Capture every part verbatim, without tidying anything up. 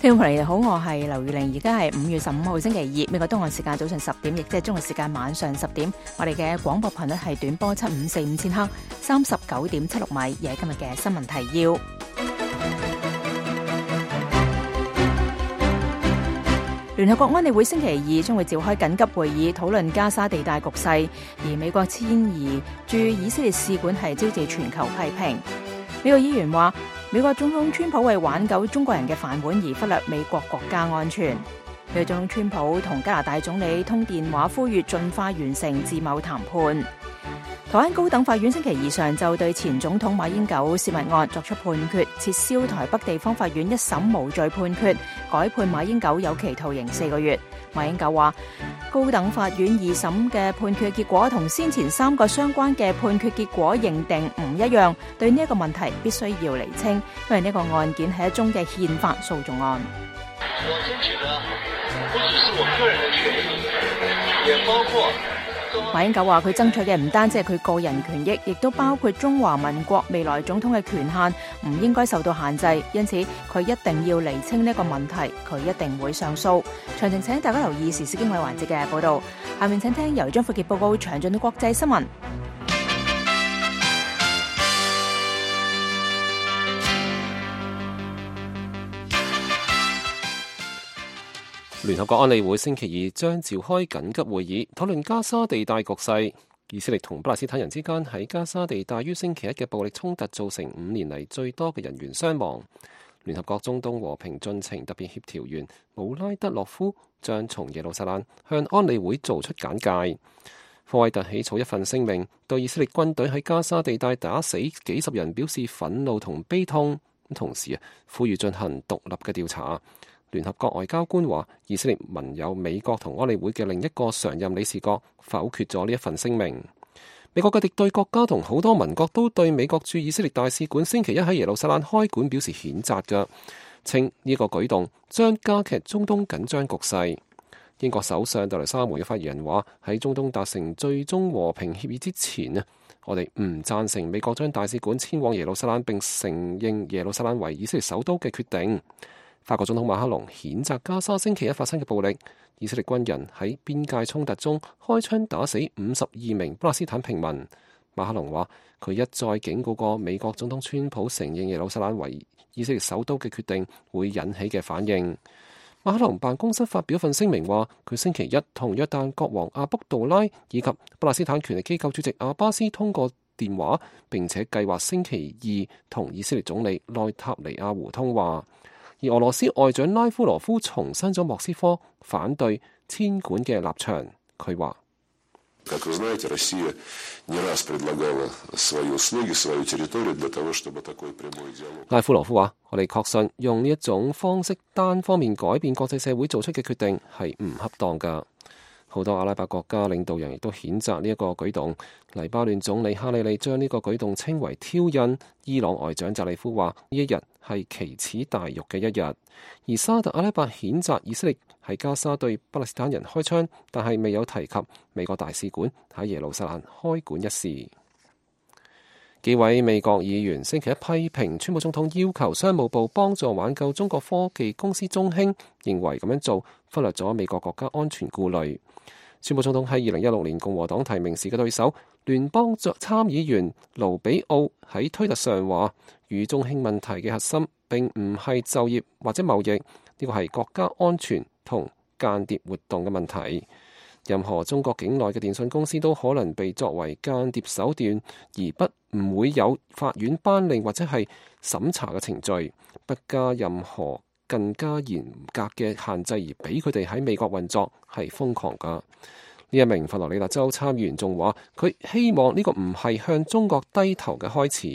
聽眾朋友好，我係劉玉玲，而家係五月十五號星期二，美國東岸時間早上十點，亦即係中國時間晚上十點。我哋嘅廣播頻率係短波七五四五千赫，三十九點七六米。而係今日嘅新聞提要。聯合國安理會星期二將會召開緊急會議，討論加沙地帶局勢，而美國遷移駐以色列使館係招致全球批評。美國議員話，美國總統川普為挽救中國人嘅飯碗而忽略美國國家安全。美國總統川普同加拿大總理通電話，呼籲盡快完成自貿談判。台灣高等法院星期二上晝對前總統馬英九泄密案作出判決，撤銷台北地方法院一審無罪判決，改判馬英九有期徒刑四個月。馬英九話，高等法院二審嘅判決結果同先前三個相關嘅判決結果認定唔一樣，對呢一個問題必須要釐清，因為呢個案件係一宗嘅憲法訴訟案。我爭取的不只是我個人的權益，也包括馬英九話，佢爭取嘅唔單止係佢個人權益，亦都包括中華民國未來總統嘅權限，唔應該受到限制。因此，佢一定要釐清呢個問題，佢一定會上訴。詳情請大家留意時事經緯環節嘅報道。下面請聽由張富傑報告詳盡嘅國際新聞。聯合國安理會星期二將召開緊急會議，討論加沙地帶局勢。以色列同巴勒斯坦人之間喺加沙地帶於星期一嘅暴力衝突造成五年嚟最多嘅人員傷亡。聯合國中東和平進程特別協調員姆拉德洛夫將從耶路撒冷向安理會做出簡介。科威特起草一份聲明，對以色列軍隊喺加沙地帶打死幾十人表示憤怒同悲痛，同時啊呼籲進行獨立嘅調查。聯合國外交官話，以色列盟友美國同安理會嘅另一個常任理事國否決咗呢一份聲明。美國嘅敵對國家同好多盟國都對美國駐以色列大使館星期一喺耶路撒冷開館表示譴責嘅，稱呢個舉動將加劇中東緊張局勢。英國首相特蕾莎梅嘅發言人話，喺中東達成最終和平協議之前啊，我哋唔贊成美國將大使館遷往耶路撒冷並承認耶路撒冷為以色列首都嘅決定。法國總統馬克龍譴責加沙星期一發生嘅暴力，以色列軍人喺邊界衝突中開槍打死五十二名巴勒斯坦平民。馬克龍話，佢一再警告過美國總統川普承認耶路撒冷為以色列首都嘅決定會引起嘅反應。馬克龍辦公室發表份聲明話，佢星期一同約旦國王阿卜杜拉以及巴勒斯坦權力機構主席阿巴斯通過電話，並且計劃星期二同以色列總理內塔尼亞胡通話。而俄羅斯外長拉夫羅夫重申咗莫斯科反對遷館嘅立場。佢話，拉夫羅夫話，我哋確信用呢一種方式單方面改變國際社會做出嘅決定係唔恰當㗎。好多阿拉伯國家領導人亦都譴責呢一個舉動。黎巴嫩總理哈里利將呢個舉動稱為挑釁。伊朗外長扎里夫話，呢一日係奇恥大辱嘅一日。而沙特阿拉伯譴責以色列喺加沙對巴勒斯坦人開槍，但係未有提及美國大使館喺耶路撒冷開館一事。幾位美國議員星期一批評川普總統要求商務部幫助挽救中國科技公司中興，認為咁樣做忽略咗美國國家安全顧慮。川普總統喺二零一六年共和黨提名時嘅對手聯邦參議員盧比奧喺推特上話，與中興問題嘅核心並唔係就業或者貿易，呢個係國家安全同間諜活動嘅問題。任何中國境內嘅電信公司都可能被作為間諜手段，而不唔會有法院頒令或者係審查嘅程序，不加任何更加嚴格嘅限制而俾佢哋喺美國運作係瘋狂㗎。呢一名佛羅里達州參議員仲話，佢希望呢個唔係向中國低頭嘅開始。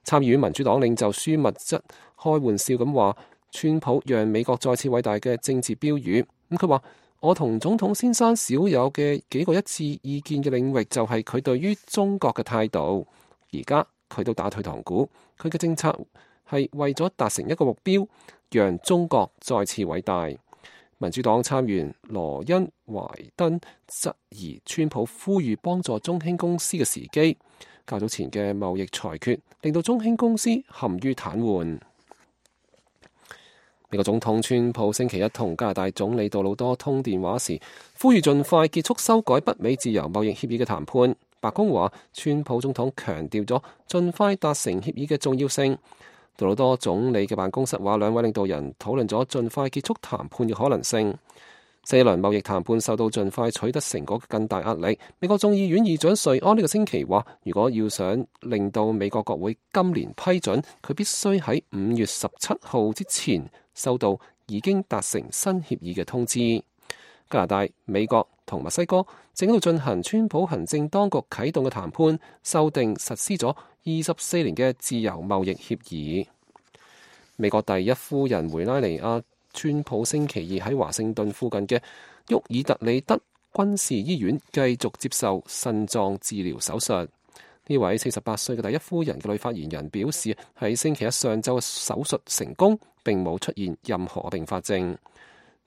參議院民主黨領袖舒密則開玩笑咁話，川普讓美國再次偉大嘅政治標語。咁佢話，我同總統先生少有嘅幾個一致意見嘅領域就係佢對於中國嘅態度。而家佢都打退堂鼓，佢嘅政策係為咗達成一個目標，讓中國再次偉大。民主黨參議員羅恩懷登質疑川普呼籲幫助中興公司嘅時機。較早前嘅貿易裁決令到中興公司陷於癱瘓。美國總統川普星期一同加拿大總理杜魯多通電話時，呼籲盡快結束修改北美自由貿易協議嘅談判。白宮話，川普總統強調咗盡快達成協議嘅重要性。杜魯多總理嘅辦公室話，兩位領導人討論咗盡快結束談判嘅可能性。四輪貿易談判受到盡快取得成果嘅更大壓力。美國眾議院議長瑞安呢個星期話，如果要想令到美國國會今年批准，佢必須喺五月十七號之前收到已經達成新協議嘅通知。加拿大、美國同墨西哥正喺度進行川普行政當局啟動嘅談判，修訂實施咗二十四年嘅自由貿易協議。美國第一夫人梅拉尼亞川普星期二喺華盛頓附近嘅沃爾特里德軍事醫院繼續接受腎臟治療手術。呢位四十八歲嘅第一夫人嘅女發言人表示，喺星期一上晝嘅手術成功，並冇出現任何併發症。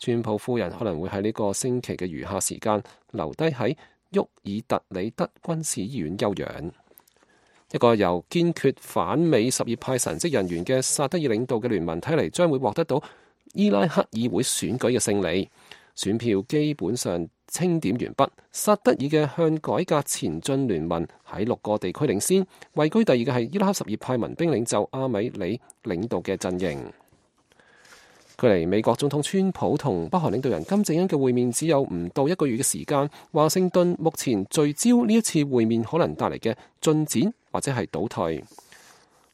川普夫人可能會喺呢個星期嘅餘下時間留低喺沃爾特里德軍事醫院休養。一個由堅決反美什葉派神職人員嘅薩德爾領導嘅聯盟睇嚟將會獲得到伊拉克議會選舉嘅勝利，選票基本上清點完畢。薩德爾嘅向改革前進聯盟喺六個地區領先，位居第二嘅係伊拉克什葉派民兵領袖阿米里領導嘅陣營。距離美國總統川普同北韓領導人金正恩嘅會面只有唔到一個月嘅時間，華盛頓目前聚焦呢一次會面可能帶嚟嘅進展或者係倒退。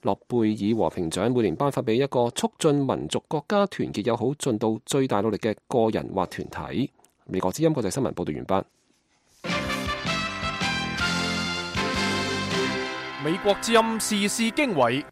諾貝爾和平獎每年頒發俾一個促進民族國家團結友好盡到最大努力嘅個人或團體。美國之音國際新聞報道完畢。美國之音時事經緯，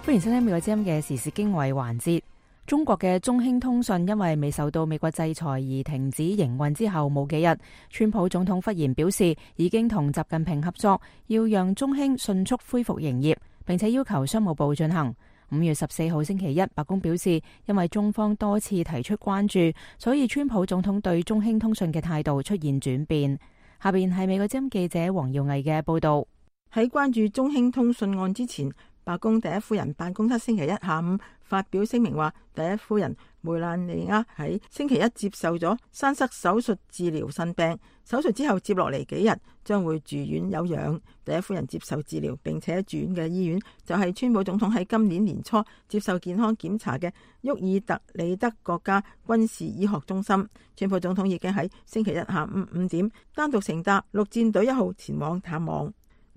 歡迎收聽美國之音嘅時事經緯環節。中國嘅中興通訊因為未受到美國制裁而停止營運之後冇幾日，川普總統忽然表示已經同習近平合作，要讓中興迅速恢復營業，並且要求商務部進行。五月十四號星期一，白宮表示因為中方多次提出關注，所以川普總統對中興通訊嘅態度出現轉變。下邊係美國之音記者黃耀毅嘅報道。喺關注中興通訊案之前，白宮第一夫人辦公室星期一下午發表聲明話，第一夫人梅蘭妮亞喺星期一接受咗栓塞手術治療腎病，手術之後接落嚟幾日將會住院休養。第一夫人接受治療並且住院嘅醫院就係川普總統喺今年年初接受健康檢查嘅沃爾特里德國家軍事醫學中心。川普總統已經喺星期一下午五點單獨乘搭陸戰隊一號前往探望。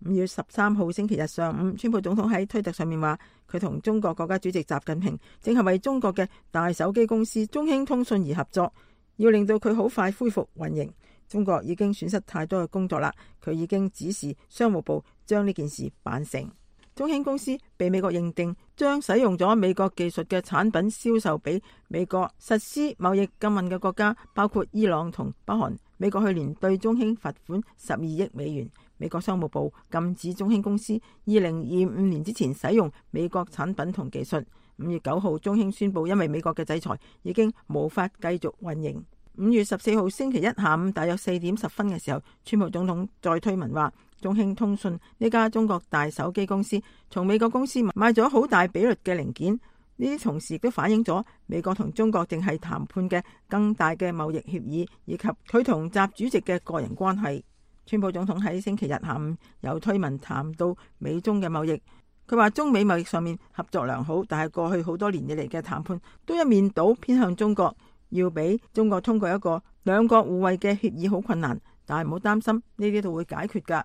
五月十三號星期日上午，川普總統喺推特上面話，佢同中國國家主席習近平正係為中國嘅大手機公司中興通訊而合作，要令到佢好快恢復運營。中國已經損失太多嘅工作啦，佢已經指示商務部將呢件事辦成。中興公司被美國認定將使用咗美國技術嘅產品銷售俾美國實施貿易禁運嘅國家，包括伊朗同北韓。美國去年對中興罰款十二億美元。美國商務部禁止中興公司二零二五年之前使用美國產品同技術。五月九號，中興宣布因為美國嘅制裁已經無法繼續運營。五月十四號星期一下午大約四點十分嘅時候，川普總統再推文話，中興通訊呢家中國大手機公司從美國公司買咗好大比率嘅零件。呢啲同時亦都反映咗美國同中國正係談判嘅更大嘅貿易協議，以及佢同習主席嘅個人關係。川普總統喺星期日下午有推文談到美中嘅貿易，佢話中美貿易上面合作良好，但係過去好多年以嚟嘅談判都一面倒偏向中國，要俾中國通過一個兩國互惠嘅協議好困難，但係唔好擔心，呢啲都會解決㗎。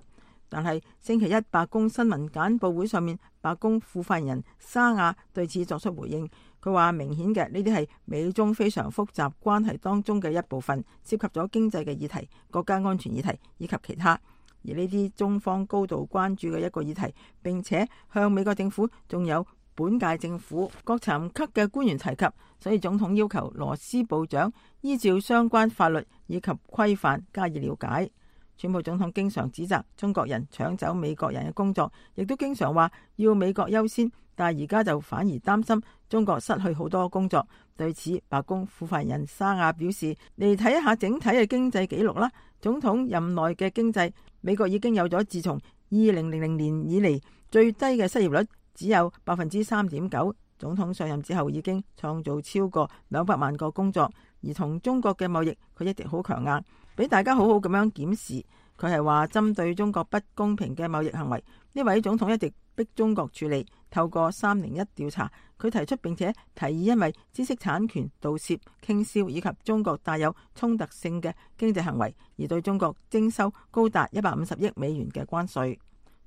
但係星期一白宮新聞簡報會上面，白宮副發言人沙亞對此作出回應，佢話明顯嘅呢啲係美中非常複雜關係當中嘅一部分，涉及咗經濟嘅議題、國家安全議題以及其他，而呢啲中方高度關注嘅一個議題，並且向美國政府仲有本屆政府各層級嘅官員提及，所以總統要求羅斯部長依照相關法律以及規範加以了解。川普總統經常指責中國人搶走美國人嘅工作，亦都經常話要美國優先，但係而家就反而擔心中國失去好多工作。對此，白宮副發言人沙亞表示，嚟睇一下整體嘅經濟記錄啦。總統任內嘅經濟，美國已經有咗自從二零零零年以嚟最低嘅失業率，只有百分之三點九。總統上任之後已經創造超過兩百萬個工作，而同中國嘅貿易佢一直好強硬，俾大家好好咁樣檢視。佢係話針對中國不公平嘅貿易行為，呢位總統一直逼中國處理。透過三零一調查，佢提出並且提議，因為知識產權盜竊、傾銷以及中國帶有衝突性嘅經濟行為，而對中國徵收高達一百五十億美元嘅關稅。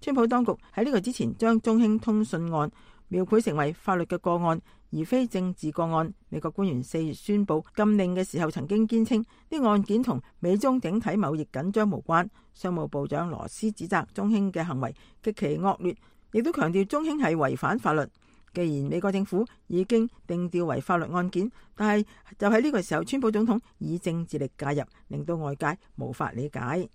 川普當局喺呢個之前將中興通訊案描繪成為法律嘅個案，而非政治個案。美國官員四月宣布禁令嘅時候，曾經堅稱呢案件同美中整體貿易緊張無關。商務部長羅斯指責中興嘅行為極其惡劣，亦都強調中興係違反法律。既然美國政府已經定調為法律案件，但係就喺呢個時候，川普總統以政治力介入，令到外界無法理解。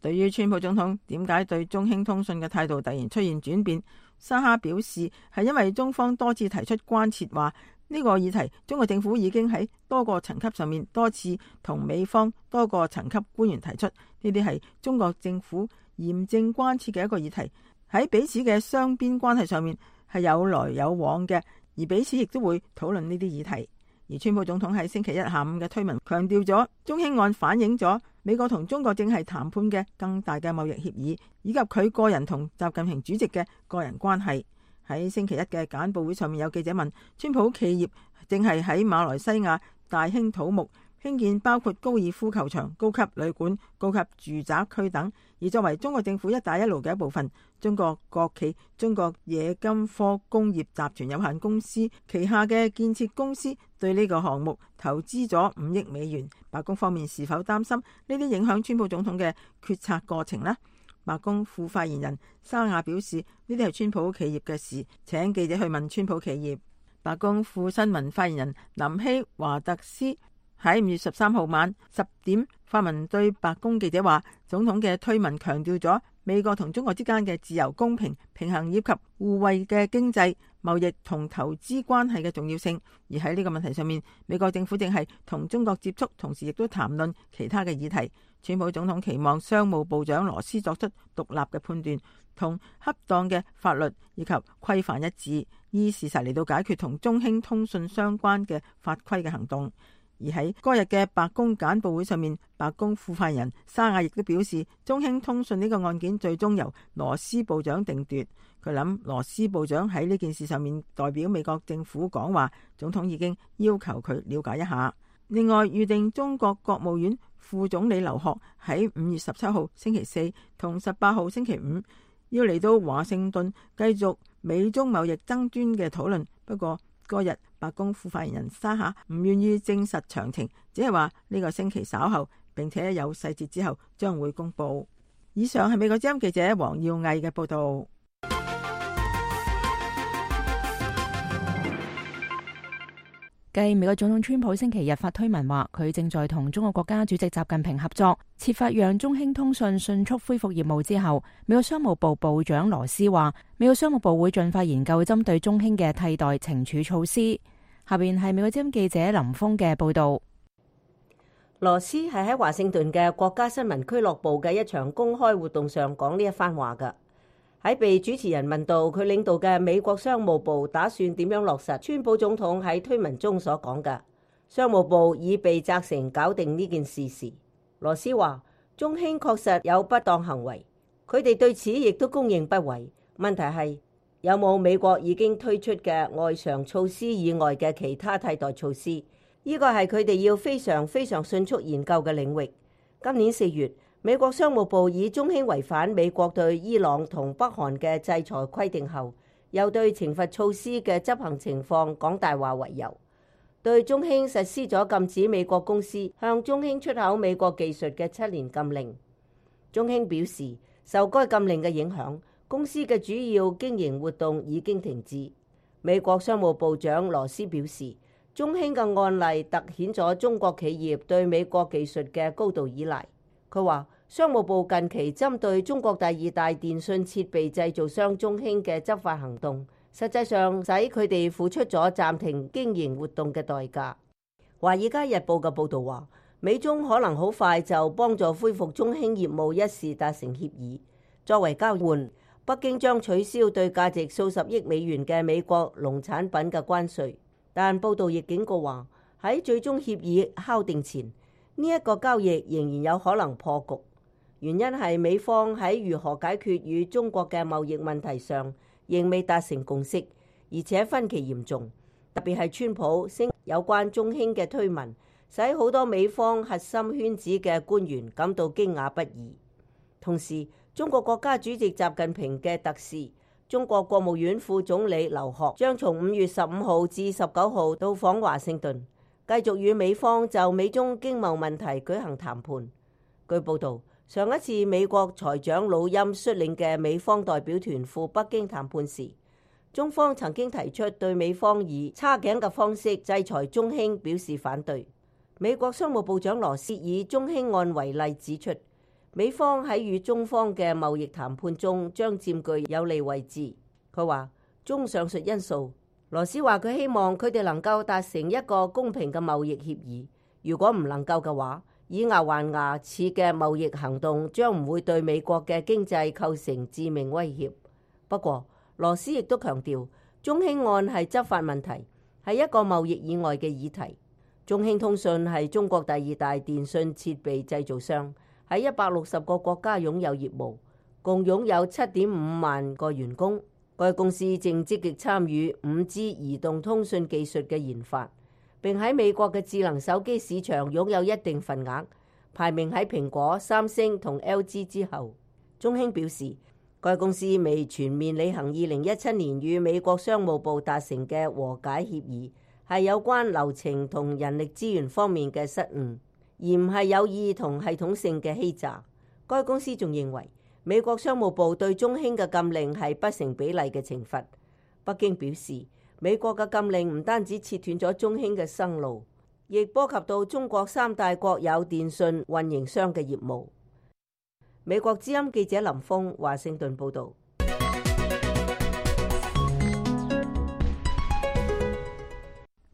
對於川普總統點解對中興通訊嘅態度突然出現轉變，沙哈表示係因為中方多次提出關切，話呢個議題中國政府已經喺多個層級上面多次同美方多個層級官員提出，呢啲係中國政府嚴正關切嘅一個議題，喺彼此嘅雙邊關係上面係有來有往嘅，而彼此亦都會討論呢啲議題。而川普總統喺星期一下午嘅推文強調咗，中興案反映咗美國同中國正係談判嘅更大嘅貿易協議，以及佢個人同習近平主席嘅個人關係。喺星期一嘅簡報會上面，有記者問川普企業正係喺馬來西亞大興土木興建包括高爾夫球場、高級旅館、高級住宅區等，而作為中國政府一帶一路嘅一部分，中國國企中國冶金科工業集團有限公司旗下嘅建設公司對呢個項目投資咗五億美元。白宮方面是否擔心呢啲影響川普總統嘅決策過程呢？白宮副發言人沙亞表示，呢啲係川普企業嘅事，請記者去問川普企業。白宮副新聞發言人林希華特斯喺五月十三號晚十點發文對白宮記者話，總統嘅推文強調咗美國同中國之間嘅自由、公平、平衡以及互惠嘅經濟、貿易同投資關係嘅重要性。而喺呢個問題上面，美國政府正係同中國接觸，同時亦都談論其他嘅議題。川普總統期望商務部長羅斯作出獨立嘅判斷，同恰當嘅法律以及規範一致，依事實嚟到解決同中興通訊相關嘅法規嘅行動。而喺嗰日嘅白宮簡報會上面，白宮副發言人沙亞亦都表示，中興通訊呢個案件最終由羅斯部長定奪。佢諗羅斯部長喺呢件事上面代表美國政府講話，總統已經要求佢了解一下。另外，預定中國國務院副總理劉鶴喺五月十七號星期四同十八號星期五要嚟到華盛頓繼續美中貿易爭端嘅討論。不過嗰日白宮副發言人沙夏唔願意證實詳情，只係話呢個星期稍後，並且有細節之後將會公布。以上係美國之音記者黃耀毅嘅報道。繼美國總統川普星期日發推文話，佢正在同中國國家主席習近平合作，設法讓中興通訊迅速恢復業務之後，美國商務部部長羅斯話，美國商務部會盡快研究針對中興嘅替代懲處措施。下邊係美國之音記者林峰嘅報道。羅斯係喺華盛頓嘅國家新聞俱樂部嘅一場公開活動上講呢一番話㗎。喺被主持人問到佢領導嘅美國商務部打算點樣落實川普總統喺推文中所講嘅，商務部已被責成搞定呢件事時，羅斯話中興確實有不當行為，佢哋對此亦都公認不諱。問題係有冇美國已經推出嘅外常措施以外嘅其他替代措施？呢個係佢哋要非常非常迅速研究嘅領域。今年四月，美國商務部以中興違反美國對伊朗同北韓嘅制裁規定後，又對懲罰措施嘅執行情況講大話為由，對中興實施咗禁止美國公司向中興出口美國技術嘅七年禁令。中興表示，受該禁令嘅影響，公司嘅主要經營活動已經停止。美國商務部長羅斯表示，中興嘅案例突顯咗中國企業對美國技術嘅高度依賴。佢話，商務部近期針對中國第二大電信設備製造商中興嘅執法行動，實際上使佢哋付出咗暫停經營活動嘅代價。華爾街日報嘅報導話，美中可能好快就幫助恢復中興業務一事達成協議。作為交換，北京將取消對價值數十億美元嘅美國農產品嘅關稅。但報道亦警告話，喺最終協議敲定前，呢一個交易仍然有可能破局。原因係美方喺如何解決與中國嘅貿易問題上仍未達成共識，而且分歧嚴重。特別係川普升有關中興嘅推文，使好多美方核心圈子嘅官員感到驚訝不已。同時，中國國家主席習近平嘅特使、中國國務院副總理劉鶴將從五月十五號至十九號到訪華盛頓，繼續與美方就美中經貿問題舉行談判。據報道，上一次美國財長魯欽率領嘅美方代表團赴北京談判時，中方曾經提出對美方以叉頸嘅方式制裁中興表示反對。美國商務部長羅斯以中興案為例指出，美方喺與中方嘅貿易談判中將佔據有利位置。佢話，綜上述因素，羅斯話佢希望佢哋能夠達成一個公平嘅貿易協議。如果唔能夠嘅話，以牙還牙似嘅貿易行動將唔會對美國嘅經濟構成致命威脅。不過，羅斯亦都強調，中興案係執法問題，係一個貿易以外嘅議題。中興通訊係中國第二大電信設備製造商。喺一百六十個國家擁有業務，共擁有七點五萬個員工。該公司正積極參與五 G 移動通訊技術嘅研發，並喺美國嘅智能手機市場擁有一定份額，排名喺蘋果、三星同 L G 之後。中興表示，該公司未全面履行二零一七年與美國商務部達成嘅和解協議，係有關流程同人力資源方面嘅失誤，而唔係有意同系統性嘅欺詐。該公司仲認為，美國商務部對中興嘅禁令係不成比例嘅懲罰。北京表示，美國嘅禁令唔單止切斷咗中興嘅生路，亦波及到中國三大國有電信運營商嘅業務。美國之音記者林峰華盛頓報導。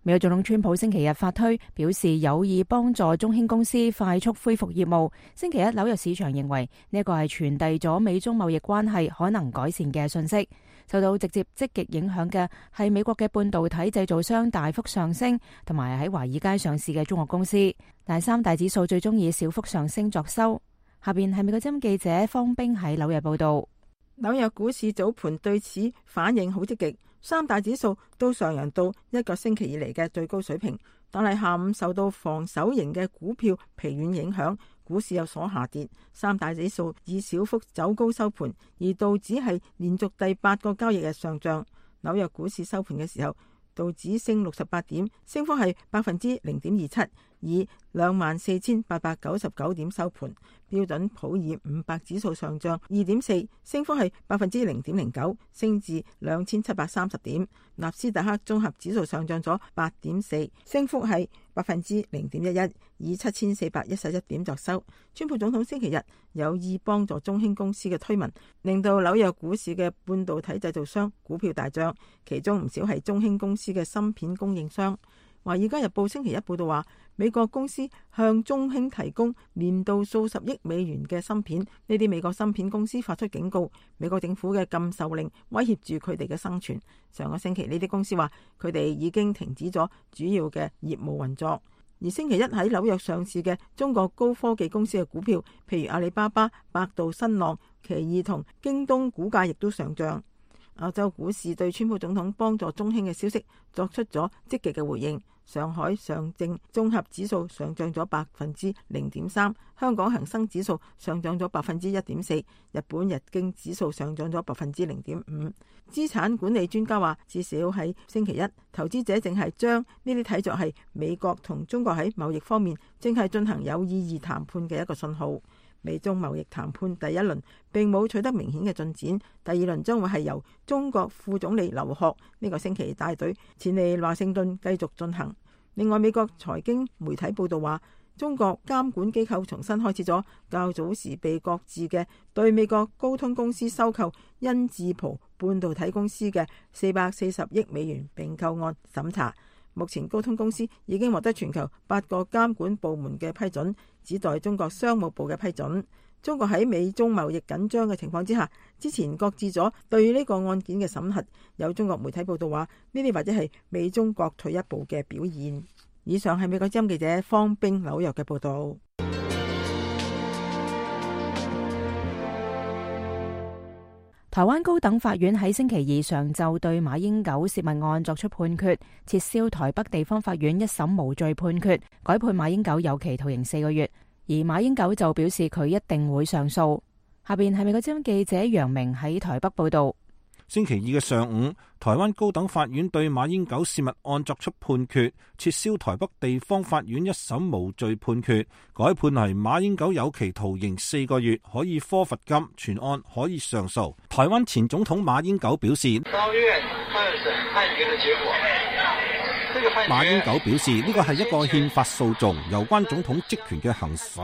美國總統川普星期日發推表示有意幫助中興公司快速恢復業務。星期一紐約市場認為呢個係傳遞咗美中貿易關係可能改善嘅訊息。受到直接積極影響嘅係美國嘅半導體製造商大幅上升，同埋喺華爾街上市嘅中國公司。但三大指數最終以小幅上升作收。下邊係美國之音記者方冰喺紐約報道。紐約股市早盤對此反應好積極。三大指數都上揚到一個星期以嚟嘅最高水平，但係下午受到防守型嘅股票疲軟影響，股市有所下跌。三大指數以小幅走高收盤，而道指係連續第八個交易日上漲。紐約股市收盤嘅時候，道指升六十八點，升幅係百分之零點二七，以兩萬四千八百九十九點收盤。標準普爾五百指數上漲二點四，升幅係百分之零點零九，升至兩千七百三十點。納斯達克綜合指數上漲咗八點四，升幅係百分之零點一一，以七千四百一十一點作收。川普總統星期日有意幫助中興公司嘅推文，令到紐約股市嘅半導體製造商股票大漲，其中唔少係中興公司嘅芯片供應商。華爾街日報星期一報道話，美國公司向中興提供年度數十億美元嘅芯片，呢啲美國芯片公司發出警告，美國政府嘅禁售令威脅住佢哋嘅生存。上個星期呢啲公司話，佢哋已經停止咗主要嘅業務運作。而星期一喺紐約上市嘅中國高科技公司嘅股票，譬如阿里巴巴、百度、新浪、奇異同京東，股價亦都上漲。歐洲股市對川普總統幫助中興嘅消息作出咗積極嘅回應。上海上證綜合指數上漲咗百分之零點三，香港恒生指數上漲咗百分之一點四，日本日經指數上漲咗百分之零點五。資產管理專家話，至少喺星期一，投資者正係將呢啲睇作係美國同中國喺貿易方面正係進行有意義談判嘅一個信號。美中貿易談判第一輪並冇取得明顯嘅進展，第二輪將會係由中國副總理劉鶴呢個星期帶隊前嚟華盛頓繼續進行。另外，美國財經媒體報道話，中國監管機構重新開始咗較早時被擱置嘅對美國高通公司收購恩智浦半導體公司嘅四百四十億美元併購案審查。目前高通公司已經獲得全球八個監管部門嘅批准，只待中國商務部嘅批准。中國喺美中貿易緊張嘅情況之下，之前擱置咗對呢個案件嘅審核。有中國媒體報道話，呢啲或者係美中各退一步嘅表現。以上係美國之音記者方冰紐約嘅報道。台灣高等法院喺星期二上晝對馬英九洩密案作出判決，撤銷台北地方法院一審無罪判決，改判馬英九有期徒刑四個月。而馬英九就表示佢一定會上訴。下邊係美國之音記者楊明喺台北報道。星期二嘅上午，台灣高等法院對馬英九洩密案作出判決，撤銷台北地方法院一審無罪判決，改判係馬英九有期徒刑四個月，可以科罰金，全案可以上訴。台灣前總統馬英九表示，高院二審判決嘅結果，這個判決，馬英九表示呢個係一個憲法訴訟，有關總統職權嘅行使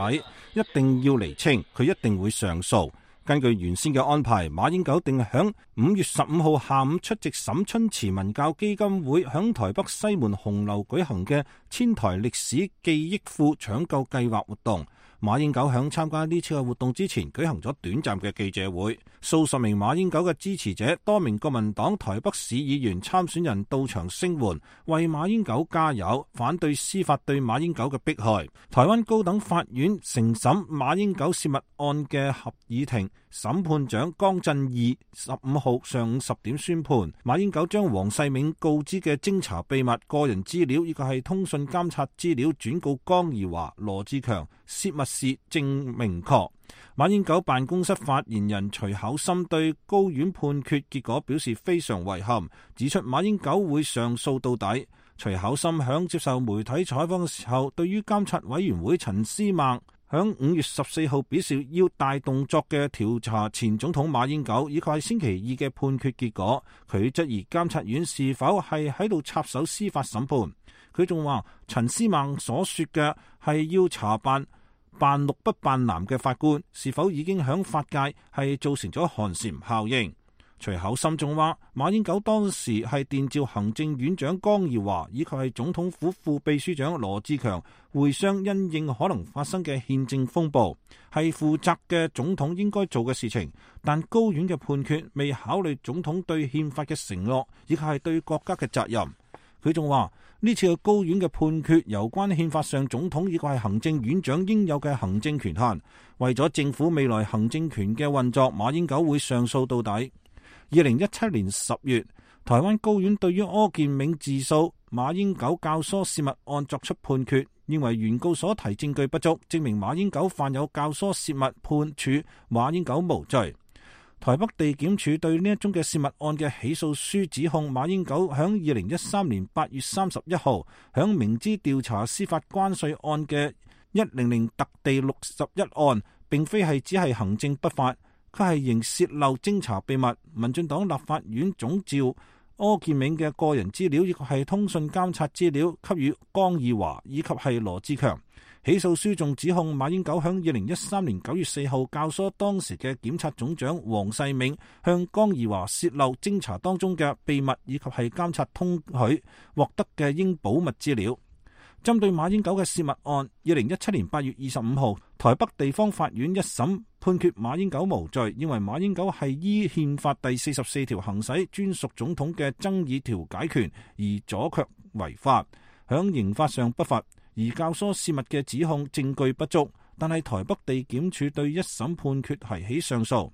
一定要釐清，佢一定會上訴。根據原先嘅安排，馬英九定響五月十五號下午出席沈春慈文教基金會響台北西門紅樓舉行嘅千台歷史記憶庫搶救計劃活動。馬英九響參加呢次嘅活動之前舉行咗短暫嘅記者會，數十名馬英九嘅支持者、多名國民黨台北市議員參選人到場聲援，為馬英九加油，反對司法對馬英九嘅迫害。台灣高等法院承審馬英九洩密案嘅合議庭審判長江振義十五號上午十點宣判，馬英九將黃世銘告知嘅偵查秘密、個人資料以及係通訊監察資料轉告江宜樺、羅志強，洩密事證明確。馬英九辦公室發言人徐巧芯對高院判決結果表示非常遺憾，指出馬英九會上訴到底。徐巧芯響接受媒體採訪嘅時候，對於監察委員會陳思孟響五月十四號表示要大動作嘅調查前總統馬英九，以及係星期二嘅判決結果，佢質疑監察院是否係喺度插手司法審判。佢仲話陳思孟所說嘅係要查辦辦綠不辦藍嘅法官，是否已經響法界係造成咗寒蟬效應。徐巧芯仲話馬英九當時係電召行政院長江宜樺以及係總統府副秘書長羅志強會商，因應可能發生嘅憲政風暴，係負責嘅總統應該做嘅事情。但高院嘅判決未考慮總統對憲法嘅承諾以及係對國家嘅責任。佢仲話呢次嘅高院嘅判決有關憲法上總統以及係行政院長應有嘅行政權限，為咗政府未來行政權嘅運作，馬英九會上訴到底。二零一七年十月，台灣高院對於柯建銘自訴馬英九教唆洩密案作出判決，認為原告所提證據不足，證明馬英九犯有教唆洩密，判處馬英九無罪。台北地檢署對呢一宗嘅洩密案嘅起訴書指控馬英九響二零一三年八月三十一號響明知調查司法關稅案嘅一零零特地六十一案，並非係只係行政不法，佢係仍洩漏偵查秘密。民進黨立法院總召柯建銘嘅個人資料以及係通訊監察資料給予江宜樺以及係羅志強。起訴書仲指控馬英九響二零一三年九月四號教唆當時嘅檢察總長黃世銘向江宜樺洩漏偵查當中嘅秘密以及係監察通許獲得嘅應保密資料。針對馬英九嘅洩密案，二零一七年八月二十五號，台北地方法院一審判決馬英九無罪，認為馬英九係依憲法第四十四條行使專屬總統嘅爭議調解權而阻卻違法，響刑法上不罰。而教唆洩密嘅指控證據不足，但係台北地檢署對一審判決提起上訴。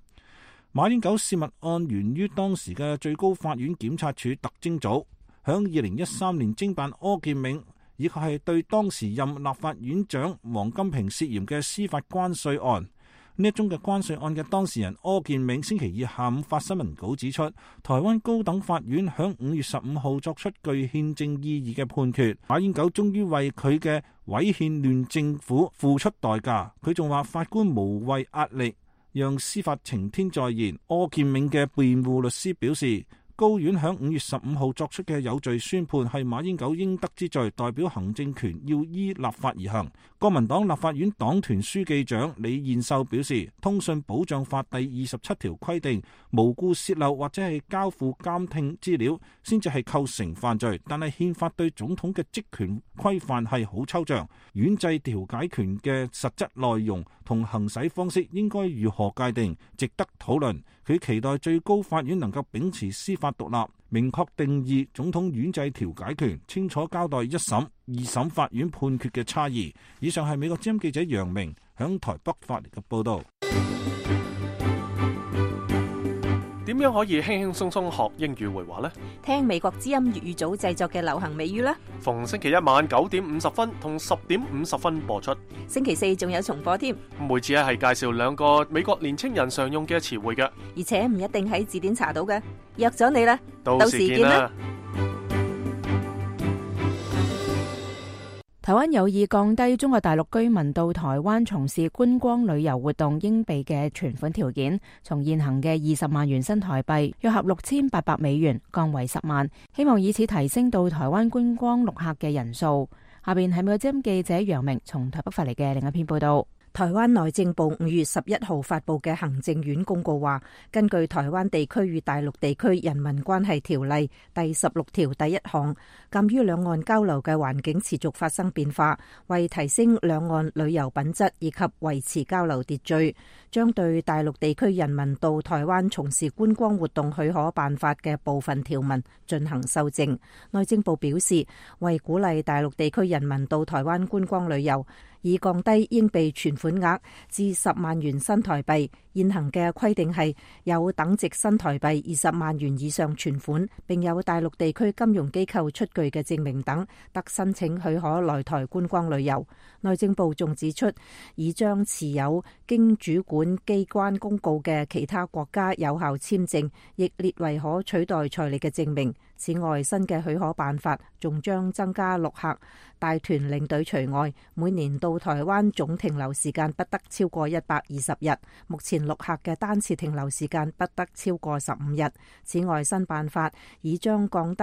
馬英九洩密案源於當時嘅最高法院檢察署特偵組響二零一三年偵辦柯建銘以及係對當時任立法院長王金平涉嫌嘅司法關稅案。呢一宗嘅關稅案嘅當事人柯建銘星期二下午發新聞稿指出，台灣高等法院響五月十五號作出具憲政意義嘅判決，馬英九終於為佢嘅違憲亂政府付出代價。佢仲話法官無謂壓力，讓司法晴天再現。柯建銘嘅辯護律師表示，高院響五月十五號作出嘅有罪宣判係馬英九應得之罪，代表行政權要依立法而行。國民黨立法院黨團書記長李彥秀表示，通訊保障法第二十七條規定，無故洩漏或者係交付監聽資料先至係構成犯罪，但係憲法對總統嘅職權規範係好抽象，院制調解權嘅實質內容同行使方式應該如何界定，值得討論。佢期待最高法院能夠秉持司法獨立，明確定義總統院制調解權，清楚交代一審、二審法院判決嘅差異。以上係美國之音記者楊明響台北發嚟嘅報道。點樣可以輕輕鬆鬆學英語會話呢？聽美國之音粵語組製作嘅流行美語啦。逢星期一晚九點五十分同十點五十分播出。星期四仲有重播添。每次咧係介紹兩個美國年青人常用嘅詞彙嘅，而且唔一定喺字典查到嘅。約咗你啦，到時見啦。台灣有意降低中國大陸居民到台灣從事觀光旅遊活動應備嘅存款條件，從現行嘅二十萬元新台幣約合六千八百美元降為十萬，希望以此提升到台灣觀光陸客嘅人數。下邊係美國之音記者楊明從台北發嚟嘅另一篇報道。台灣內政部五月十一號發布嘅行政院公告話，根據台灣地區與大陸地區人民關係條例第十六條第一項，鑒於兩岸交流嘅環境持續發生變化，為提升兩岸旅遊品質以及維持交流秩序，將對大陸地區人民到台灣從事觀光活動許可辦法嘅部分條文進行修正。內政部表示，為鼓勵大陸地區人民到台灣觀光旅遊，以降低應備存款額至十萬元新台幣。現行嘅規定係有等值新台幣二十萬元以上存款，並有大陸地區金融機構出具嘅證明等，得申請許可來台觀光旅遊。內政部仲指出，已將持有經主管機關公告嘅其他國家有效簽證，亦列為可取代財力嘅證明。此外，新嘅許可辦法仲將增加陸客帶團領隊除外，每年到台灣總停留時間不得超過一百二十日。目前陸客嘅單次停留時間不得超過十五日。此外，新辦法已將降低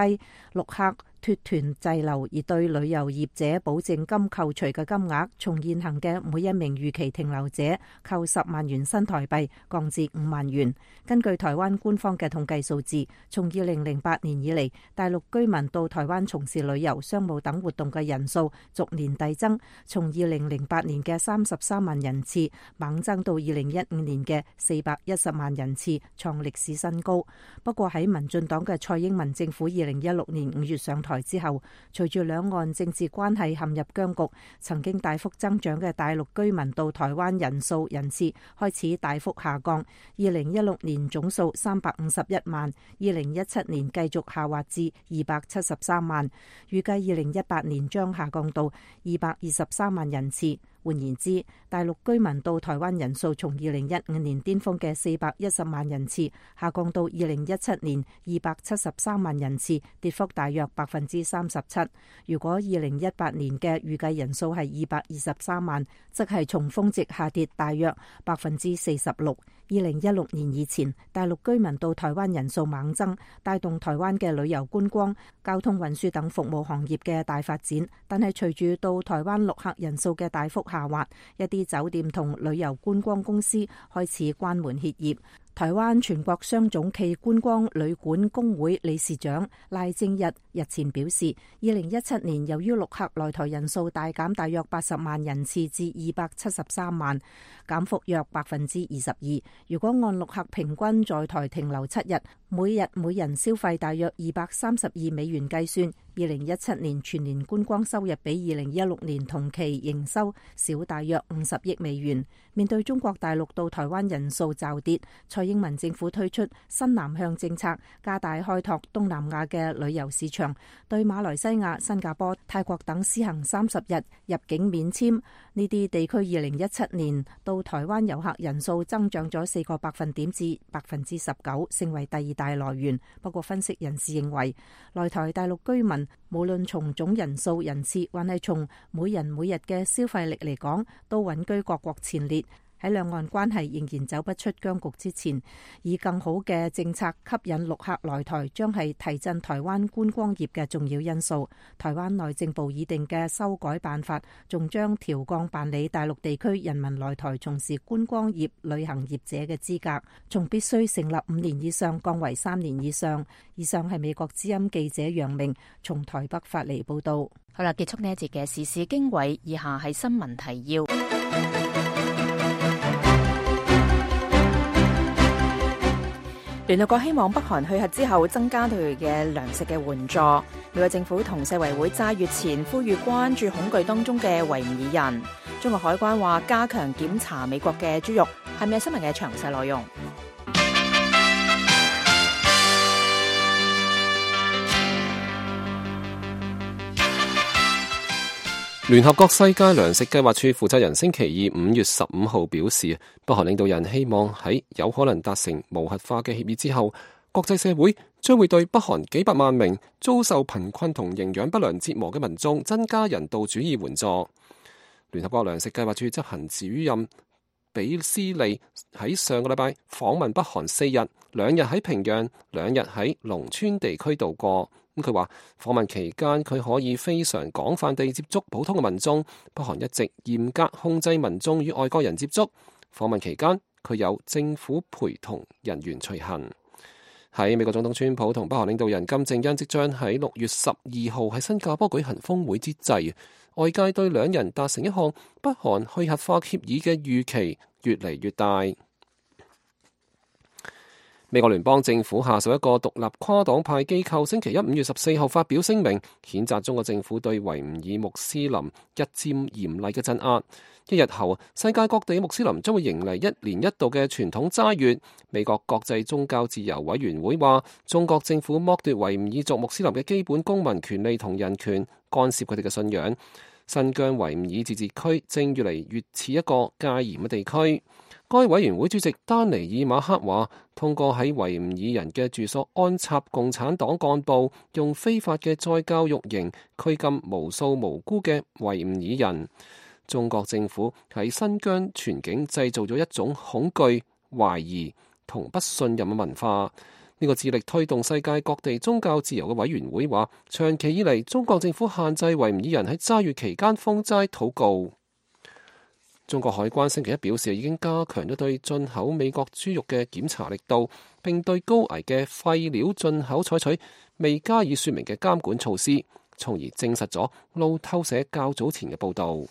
陸客脫團滯留而對旅遊業者保證金扣除嘅金額，從現行嘅每一名逾期停留者扣十萬元新台幣降至五萬元。根據台灣官方嘅統計數字，從二零零八年以嚟，大陸居民到台灣從事旅遊、商務等活動嘅人數逐年遞增，從二零零八年嘅三十三萬人次猛增到二零一五年嘅四百一十萬人次，創歷史新高。不過喺民進黨嘅蔡英文政府二零一六年五月上台之後，隨住兩岸政治關係陷入僵局，曾經大幅增長嘅大陸居民到台灣人數人次開始大幅下降。二零一六年總數三百五十一萬，二零一七年繼續下滑至二百七十三萬，預計二零一八年將下降到二百二十三萬人次。換言之，大陸居民到台灣人數從二零一五年巔峰嘅四百一十萬人次下降到二零一七年二百七十三萬人次，跌幅大約百分之三十七。如果二零一八年嘅預計人數係二百二十三萬，則係從峰值下跌大約百分之四十六。二零一六年以前，大陸居民到台灣人數猛增，帶動台灣嘅旅遊觀光、交通運輸等服務行業嘅大發展。但係隨住到台灣陸客人數嘅大幅下滑，一啲酒店同旅遊觀光公司開始關門歇業。台灣全國商總暨觀光旅館工會理事長賴正日日前表示，二零一七年由於陸客來台人數大減大約八十萬人次至二百七十三萬，減幅約百分之二十二。如果按陸客平均在台停留七日，每日每人消費大約二百三十二美元計算，二零一七年全年觀光收入比二零一六年同期營收少大約五十億美元。面對中國大陸到台灣人數驟跌，蔡英文政府推出新南向政策，加大開拓東南亞嘅旅遊市場，對馬來西亞、新加坡、泰國等施行三十日入境免簽。呢啲地區二零一七年到台灣遊客人數增長咗四個百分點至百分之十九，成為第二大來源。不過分析人士認為，來台大陸居民無論從總人數、人次，還係從每人每日嘅消費力嚟講，都穩居各國前列。喺兩岸關係仍然走不出僵局之前，以更好嘅政策吸引陸客來台，將係提振台灣觀光業嘅重要因素。台灣內政部擬定嘅修改辦法，仲將調降辦理大陸地區人民來台從事觀光業、旅行業者嘅資格，從必須成立五年以上降為三年以上。以上係美國之音記者楊明從台北發嚟報道。好啦，結束呢一節嘅時事經緯，以下係新聞提要。聯合國希望北韓去核之後增加對佢嘅糧食嘅援助。美國政府同世衛會齋月前呼籲關注恐懼當中嘅維吾爾人。中國海關話加強檢查美國嘅豬肉。係咪新聞嘅詳細內容？聯合國世界糧食計劃處負責人星期二五月十五號表示，北韓領導人希望喺有可能達成無核化嘅協議之後，國際社會將會對北韓幾百萬名遭受貧困同營養不良折磨嘅民眾增加人道主義援助。聯合國糧食計劃處執行主任比斯利喺上個禮拜訪問北韓四日，兩日喺平壤，兩日喺農村地區度過。佢話訪問期間佢可以非常廣泛地接觸普通嘅民眾，北韓一直嚴格控制民眾與外國人接觸。訪問期間佢有政府陪同人員隨行。喺美國總統川普同北韓領導人金正恩即將喺六月十二號喺新加坡舉行峰會之際，外界對兩人達成一項北韓去核化協議嘅預期越嚟越大。美國聯邦政府下屬一個獨立跨黨派機構星期一五月十四號發表聲明，譴責中國政府對維吾爾穆斯林日漸嚴厲嘅鎮壓。一日後，世界各地穆斯林將會迎嚟一年一度嘅傳統齋月。美國國際宗教自由委員會話，中國政府剝奪維吾爾族穆斯林嘅基本公民權利同人權，干涉佢哋嘅信仰。新疆維吾爾自治區正越嚟越似一個戒嚴嘅地區。該委員會主席丹尼爾馬克話，通過喺維吾爾人嘅住所安插共產黨幹部，用非法嘅再教育營拘禁無數無辜嘅維吾爾人。中國政府喺新疆全境製造咗一種恐懼、懷疑同不信任嘅文化。呢個致力推動世界各地宗教自由嘅委員會話，長期以嚟中國政府限制維吾爾人喺齋月期間封齋禱告。中國海關星期一表示，已經加強咗對進口美國豬肉嘅檢查力度，並對高危嘅廢料進口採取未加以說明嘅監管措施，從而證實咗路透社較早前嘅報導。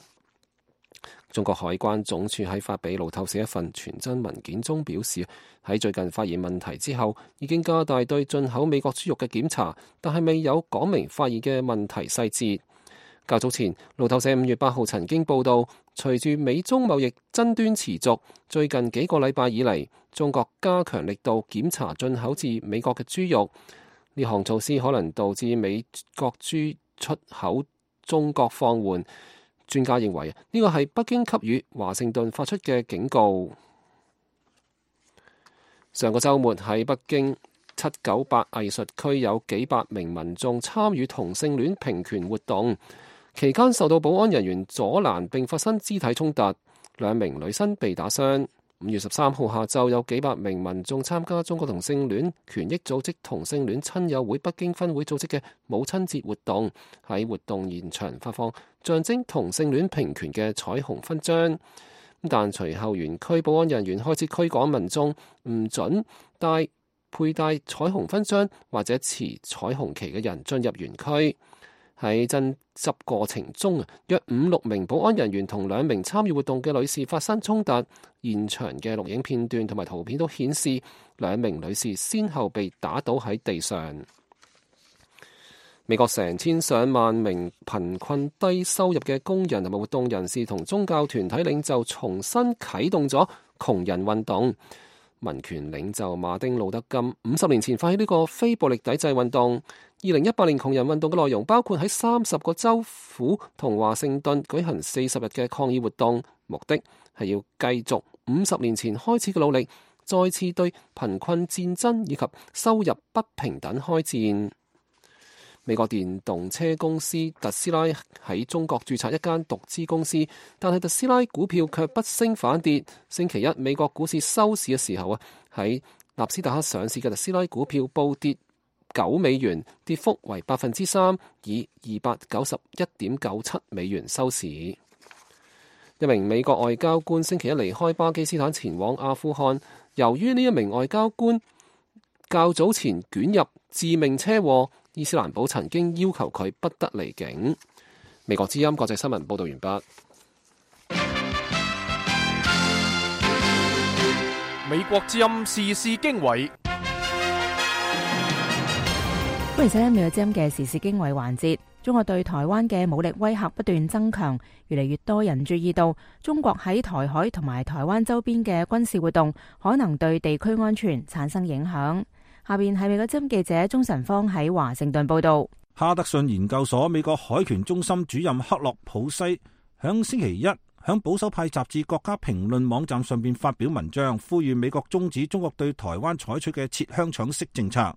中國海關總署喺發俾路透社一份傳真文件中表示，喺最近發現問題之後，已經加大對進口美國豬肉嘅檢查，但係未有講明發現嘅問題細節。較早前，路透社五月八號曾經報導，隨住美中貿易爭端持續，最近幾個禮拜以嚟，中國加強力度檢查進口至美國嘅豬肉。呢項措施可能導致美國豬出口中國放緩。專家認為呢個係北京給予華盛頓發出嘅警告。上個週末喺北京七九八藝術區有幾百名民眾參與同性戀平權活動，期間受到保安人員阻攔並發生肢體衝突，兩名女生被打傷。五月十三號下晝有幾百名民眾參加中國同性戀權益組織同性戀親友會北京分會組織嘅母親節活動，喺活動現場發放象徵同性戀平權嘅彩虹勳章。但隨後園區保安人員開始驅趕民眾，唔准帶佩戴彩虹勳章或者持彩虹旗嘅人進入園區。喺爭執過程中，約五六名保安人員同兩名參與活動嘅女士發生衝突。現場嘅錄影片段同埋圖片都顯示，兩名女士先後被打倒喺地上。美國成千上萬名貧困低收入嘅工人同埋活動人士同宗教團體領袖重新啟動咗窮人運動。民權領袖馬丁路德金五十年前發起呢個非暴力抵制運動。二零一八年窮人運動嘅內容包括喺三十個州府同華盛頓舉行四十日嘅抗議活動，目的係要繼續五十年前開始嘅努力，再次對貧困戰爭以及收入不平等開戰。美國電動車公司特斯拉喺中國註冊一間獨資公司，但係特斯拉股票卻不升反跌。星期一美國股市收市嘅時候啊，喺納斯達克上市嘅特斯拉股票暴跌九美元，跌幅為百分之三，以二百九十一點九七美元收市。一名美國外交官星期一離開巴基斯坦前往阿富汗，由於呢一名外交官較早前捲入致命車禍，伊斯蘭堡曾經要求佢不得離境。美國之音國際新聞報道完畢。美國之音時事經緯，歡迎收聽美國之音嘅時事經緯環節。中國對台灣嘅武力威嚇不斷增強，越嚟越多人注意到中國喺台海同埋台灣周邊嘅軍事活動可能對地區安全產生影響。下邊係美國之音記者鍾晨芳喺華盛頓報道。哈德遜研究所美國海權中心主任克洛普西響星期一響保守派雜誌《國家評論》網站上邊發表文章，呼籲美國終止中國對台灣採取嘅切香腸式政策。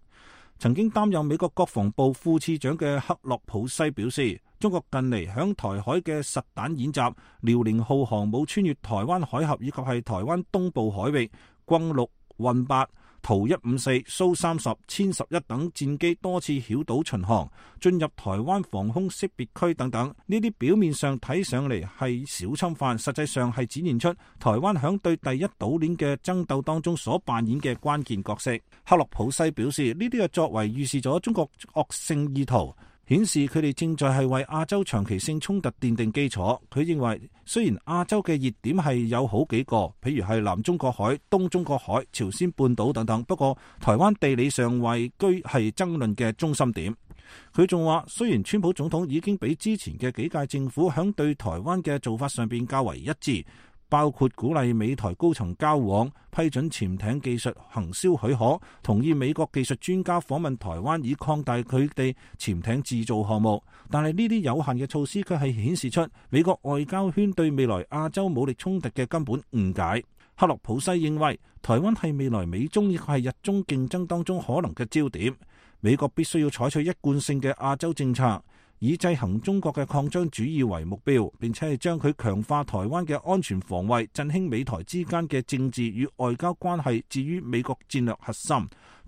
曾經擔任美國國防部副次長嘅克洛普西表示，中國近嚟響台海嘅實彈演習，遼寧號航母穿越台灣海峽以及係台灣東部海域，轟六、運八、圖一五四、蘇三十、殲十一等戰機多次繞島巡航，進入台灣防空識別區等等。呢啲表面上睇上嚟係小侵犯，實際上係展現出台灣響對第一島鏈嘅爭鬥當中所扮演嘅關鍵角色。克洛普西表示，呢啲嘅作為預示咗中國惡性意圖，顯示佢哋正在係為亞洲長期性衝突奠定基礎。佢認為，雖然亞洲嘅熱點係有好幾個，譬如係南中國海、東中國海、朝鮮半島等等，不過台灣地理上位居係爭論嘅中心點。佢仲話，雖然川普總統已經比之前嘅幾屆政府響對台灣嘅做法上邊較為一致，包括鼓勵美台高層交往、批准潛艇技術行銷許可、同意美國技術專家訪問台灣以擴大佢哋潛艇製造項目。但係呢啲有限嘅措施卻係顯示出美國外交圈對未來亞洲武力衝突嘅根本誤解。克洛普西認為，台灣係未來美中亦係日中競爭當中可能嘅焦點。美國必須要採取一貫性嘅亞洲政策，以制衡中國嘅擴張主義為目標，並且係將佢強化台灣嘅安全防衛、振興美台之間嘅政治與外交關係置於美國戰略核心，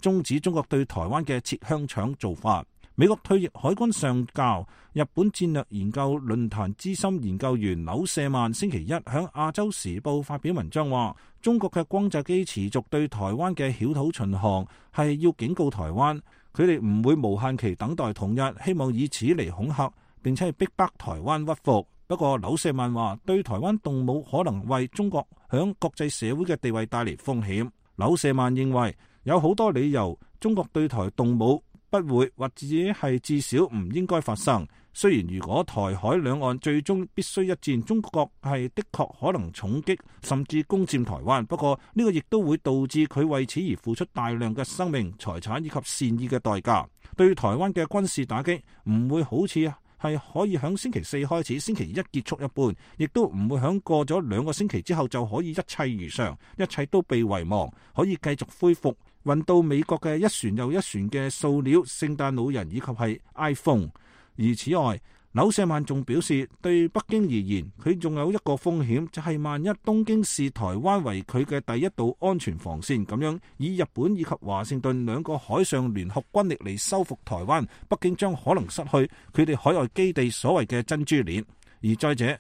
終止中國對台灣嘅切香腸做法。美國退役海軍上校、日本戰略研究論壇資深研究員柳舍曼星期一響亞洲時報發表文章話，中國嘅轟炸機持續對台灣嘅繞島巡航係要警告台灣，佢哋唔會無限期等待統一，希望以此嚟恐嚇並且係逼迫台灣屈服。不過柳舍曼話，對台灣動武可能為中國響國際社會嘅地位帶嚟風險。柳舍曼認為有好多理由中國對台動武不會或者係至少唔應該發生。雖然如果台海兩岸最終必須一戰，中國係的確可能重擊甚至攻佔台灣，不過呢個亦都會導致佢為此而付出大量嘅生命、財產以及善意嘅代價。對台灣嘅軍事打擊唔會好似係可以響星期四開始，星期一結束一般，亦都唔會響過咗兩個星期之後就可以一切如常，一切都被遺忘，可以繼續恢復運到美國嘅一船又一船嘅塑料、聖誕老人以及係 iPhone。而此外，柳舍曼仲表示，對北京而言，佢仲有一個風險，就係萬一東京視台灣為佢嘅第一道安全防線，咁樣以日本以及華盛頓兩個海上聯合軍力嚟收復台灣，北京將可能失去佢哋海外基地所謂嘅珍珠鏈。而再者，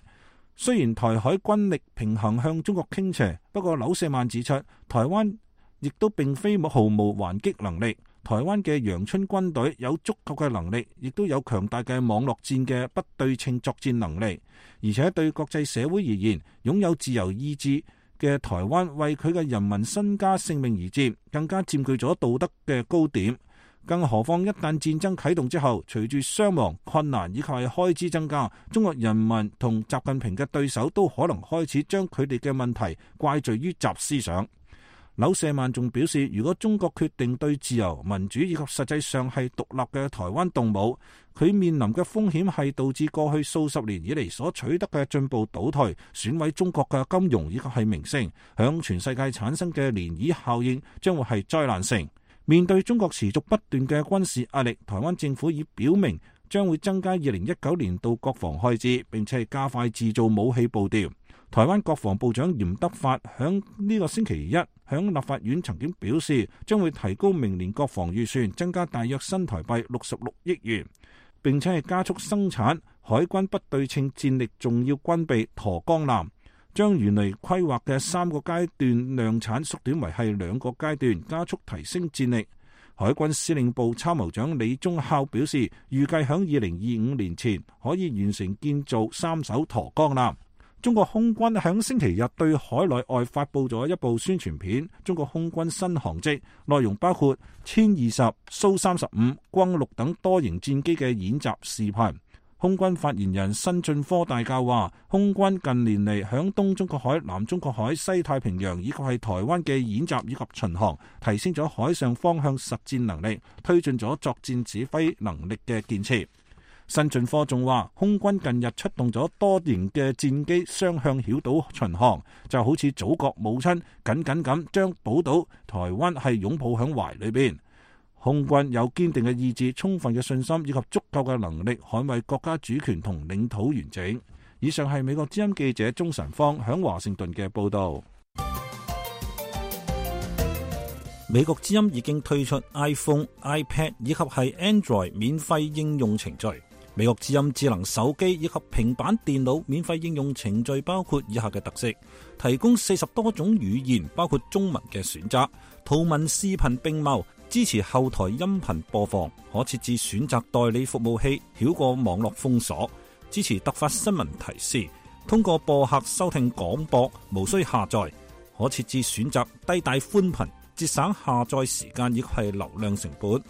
雖然台海軍力平衡向中國傾斜，不過柳舍曼指出，台灣亦都並非毫無還擊能力。台灣嘅陽春軍隊有足夠嘅能力，亦都有強大嘅網絡戰嘅不對稱作戰能力，而且對國際社會而言，擁有自由意志嘅台灣為佢嘅人民身家性命而戰，更加佔據咗道德嘅高點。更何況一旦戰爭啟動之後，隨住傷亡、困難以及係開支增加，中國人民同習近平嘅對手都可能開始將佢哋嘅問題怪罪於習思想。柳舍曼仲表示，如果中國決定對自由、民主以及實際上係獨立嘅台灣動武，佢面臨嘅風險係導致過去數十年以嚟所取得嘅進步倒退，損毀中國嘅金融以及係名聲，響全世界產生嘅漣漪效應將會係災難性。面對中國持續不斷嘅軍事壓力，台灣政府已表明將會增加二零一九年度國防開支，並且係加快製造武器步調。台灣國防部長嚴德發響呢個星期一響立法院曾經表示，將會提高明年國防預算，增加大約新台幣六十六億元，並且係加速生產海軍不對稱戰力重要軍備沱江艦，將原來規劃嘅三個階段量產縮短為係兩個階段，加速提升戰力。海軍司令部參謀長李宗孝表示，預計響二零二五年前可以完成建造三艘沱江艦。中國空軍響星期日對海內外發佈咗一部宣傳片，中國空軍新航跡，內容包括殲二十、蘇三十五、轟六等多型戰機嘅演習視頻。空軍發言人辛俊科大校話，空軍近年嚟響東中國海、南中國海、西太平洋以及係台灣嘅演習以及巡航，提升咗海上方向實戰能力，推進咗作戰指揮能力嘅建設。辛俊科仲話，空軍近日出動咗多型嘅戰機雙向繞島巡航，就好似祖國母親緊緊咁將寶島台灣係擁抱響懷裏邊。空軍有堅定嘅意志、充分嘅信心以及足夠嘅能力捍衛國家主權同領土完整。以上係美國之音記者鍾晨芳響華盛頓嘅報道。美國之音已經推出 iPhone、iPad 以及係 Android 免費應用程序。美國之音智能手機以及平板電腦免費應用程序包括以下嘅特色：提供四十多種語言，包括中文嘅選擇，圖文視頻並茂，支持後台音頻播放，可設置選擇代理服務器，繞過網絡封鎖，支持突發新聞提示，通過播客收聽廣播，無需下載，可設置選擇低帶寬頻，節省下載時間以及係流量成本。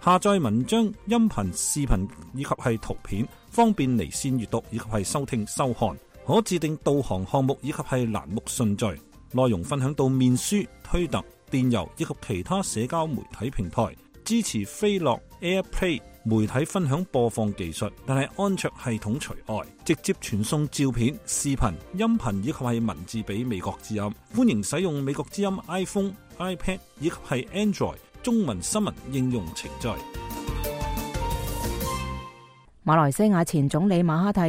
下載文章、音頻、視頻以及係圖片，方便離線閱讀以及係收聽收看。可自定導航項目以及係欄目順序。內容分享到面書、推特、電郵以及其他社交媒體平台。支持飛樂 AirPlay 媒體分享播放技術，但係安卓系統除外。直接傳送照片、視頻、音頻以及係文字俾美國之音。歡迎使用美國之音 iPhone、iPad 以及係 Android中文新聞應用程序。馬來西亞前總理馬哈蒂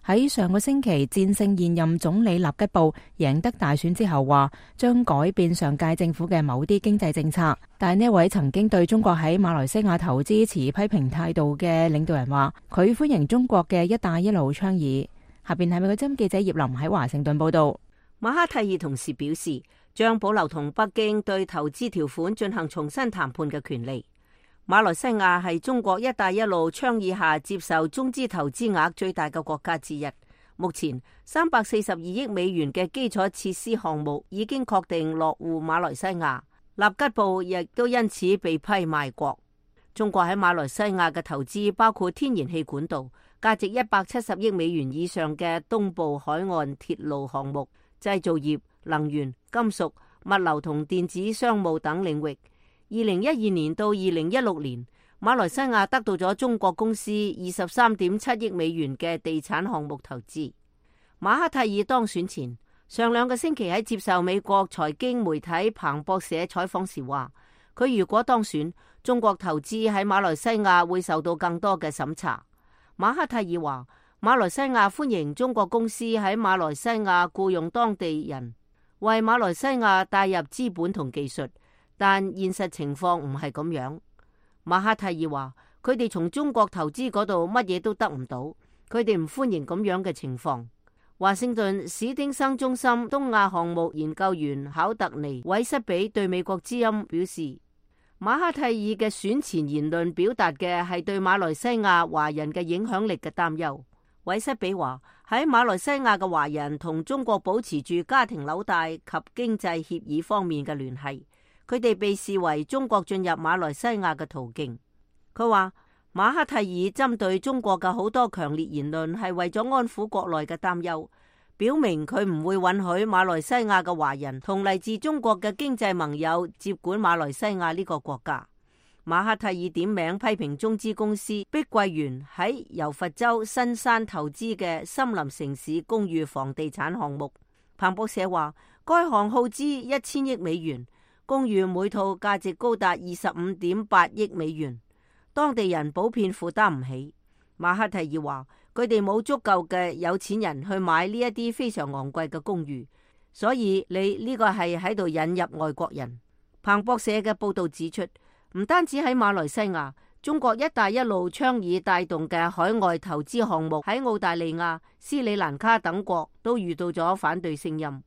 爾喺上個星期戰勝現任總理納吉布，贏得大選之後話將改變上屆政府嘅某啲經濟政策。但係呢位曾經對中國喺馬來西亞投資持批評態度嘅領導人話，佢歡迎中國嘅一帶一路倡議。下邊係美國之音記者葉林喺華盛頓報道。馬哈蒂爾同時表示，將保留同北京對投資條款進行重新談判嘅權利。馬來西亞係中國一帶一路倡議下接受中資投資額最大嘅國家之一。目前三百四十二億美元嘅基礎設施項目已經確定落戶馬來西亞，納吉布亦都因此被批賣國。中國喺馬來西亞嘅投資包括天然氣管道、價值一百七十億美元以上嘅東部海岸鐵路項目、製造業、能源、金屬、物流同電子商務等領域。二零一二年到二零一六年，馬來西亞得到咗中國公司二十三點七億美元嘅地產項目投資。馬哈蒂爾當選前，上兩個星期喺接受美國財經媒體彭博社採訪時話，佢如果當選，中國投資喺馬來西亞會受到更多嘅審查。馬哈蒂爾話，馬來西亞歡迎中國公司喺馬來西亞僱用當地人，為馬來西亞帶入資本同技術。但現實情況唔係咁樣。馬哈蒂爾話，佢哋從中國投資嗰度乜嘢都得唔到，佢哋唔歡迎咁樣嘅情況。華盛頓史丁生中心東亞項目研究員考特尼韋瑟比對美國之音表示，馬哈蒂爾嘅選前言論表達嘅係對馬來西亞華人嘅影響力嘅擔憂。韋瑟比話，喺馬來西亞嘅華人同中國保持住家庭紐帶及經濟協議方面嘅聯繫。佢哋被視為中國進入馬來西亞嘅途徑。佢話馬哈蒂爾針對中國嘅好多強烈言論係為咗安撫國內嘅擔憂，表明佢唔會允許馬來西亞嘅華人同嚟自中國嘅經濟盟友接管馬來西亞呢個國家。馬哈蒂爾點名批評中資公司碧桂園喺柔佛州新山投資嘅森林城市公寓房地產項目。彭博社話，該項耗資一千億美元。公寓每套價值高達二十五點八億美元，當地人普遍負擔唔起。馬哈蒂爾話：佢哋冇足夠嘅有錢人去買呢一啲非常昂貴嘅公寓，所以你呢個係喺度引入外國人。彭博社嘅報道指出，唔單止喺馬來西亞，中國一帶一路倡議帶動嘅海外投資項目喺澳大利亞、斯里蘭卡等國都遇到咗反對聲音。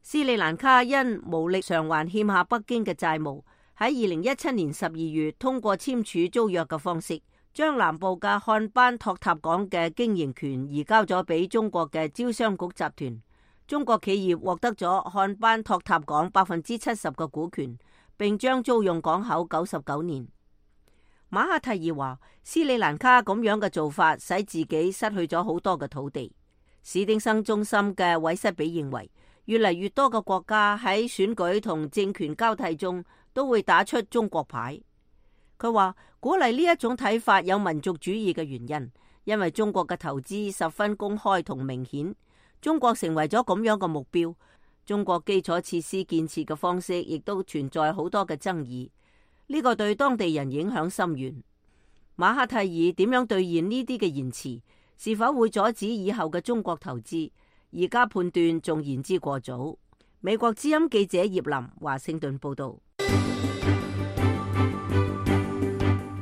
斯里蘭卡因無力償還欠下北京嘅債務，喺二零一七年十二月通過簽署租約嘅方式，將南部嘅漢班托塔港嘅經營權移交咗俾中國嘅招商局集團。中國企業獲得咗漢班托塔港百分之七十嘅股權，並將租用港口九十九年。馬哈蒂爾話：斯里蘭卡咁樣嘅做法使自己失去咗好多嘅土地。史丁生中心嘅韋瑟比認為，越嚟越多嘅國家喺選舉同政權交替中都會打出中國牌。佢話鼓勵呢一種睇法有民族主義嘅原因，因為中國嘅投資十分公開同明顯，中國成為咗咁樣嘅目標。中國基礎設施建設嘅方式亦都存在好多嘅爭議，呢個對當地人影響深遠。馬哈蒂爾點樣兌現呢啲嘅言辭，是否會阻止以後嘅中國投資？而家判斷仲言之過早。美國之音記者葉林華盛頓報道。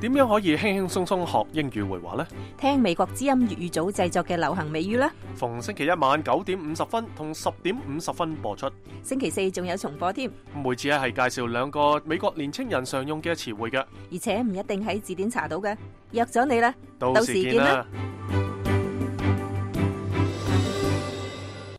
點樣可以輕輕鬆鬆學英語會話呢？聽美國之音粵語組製作嘅流行美語啦。逢星期一晚九點五十分同十點五十分播出。星期四仲有重播添。每次咧係介紹兩個美國年青人常用嘅詞彙嘅，而且唔一定喺字典查到嘅。約咗你啦，到時見啦。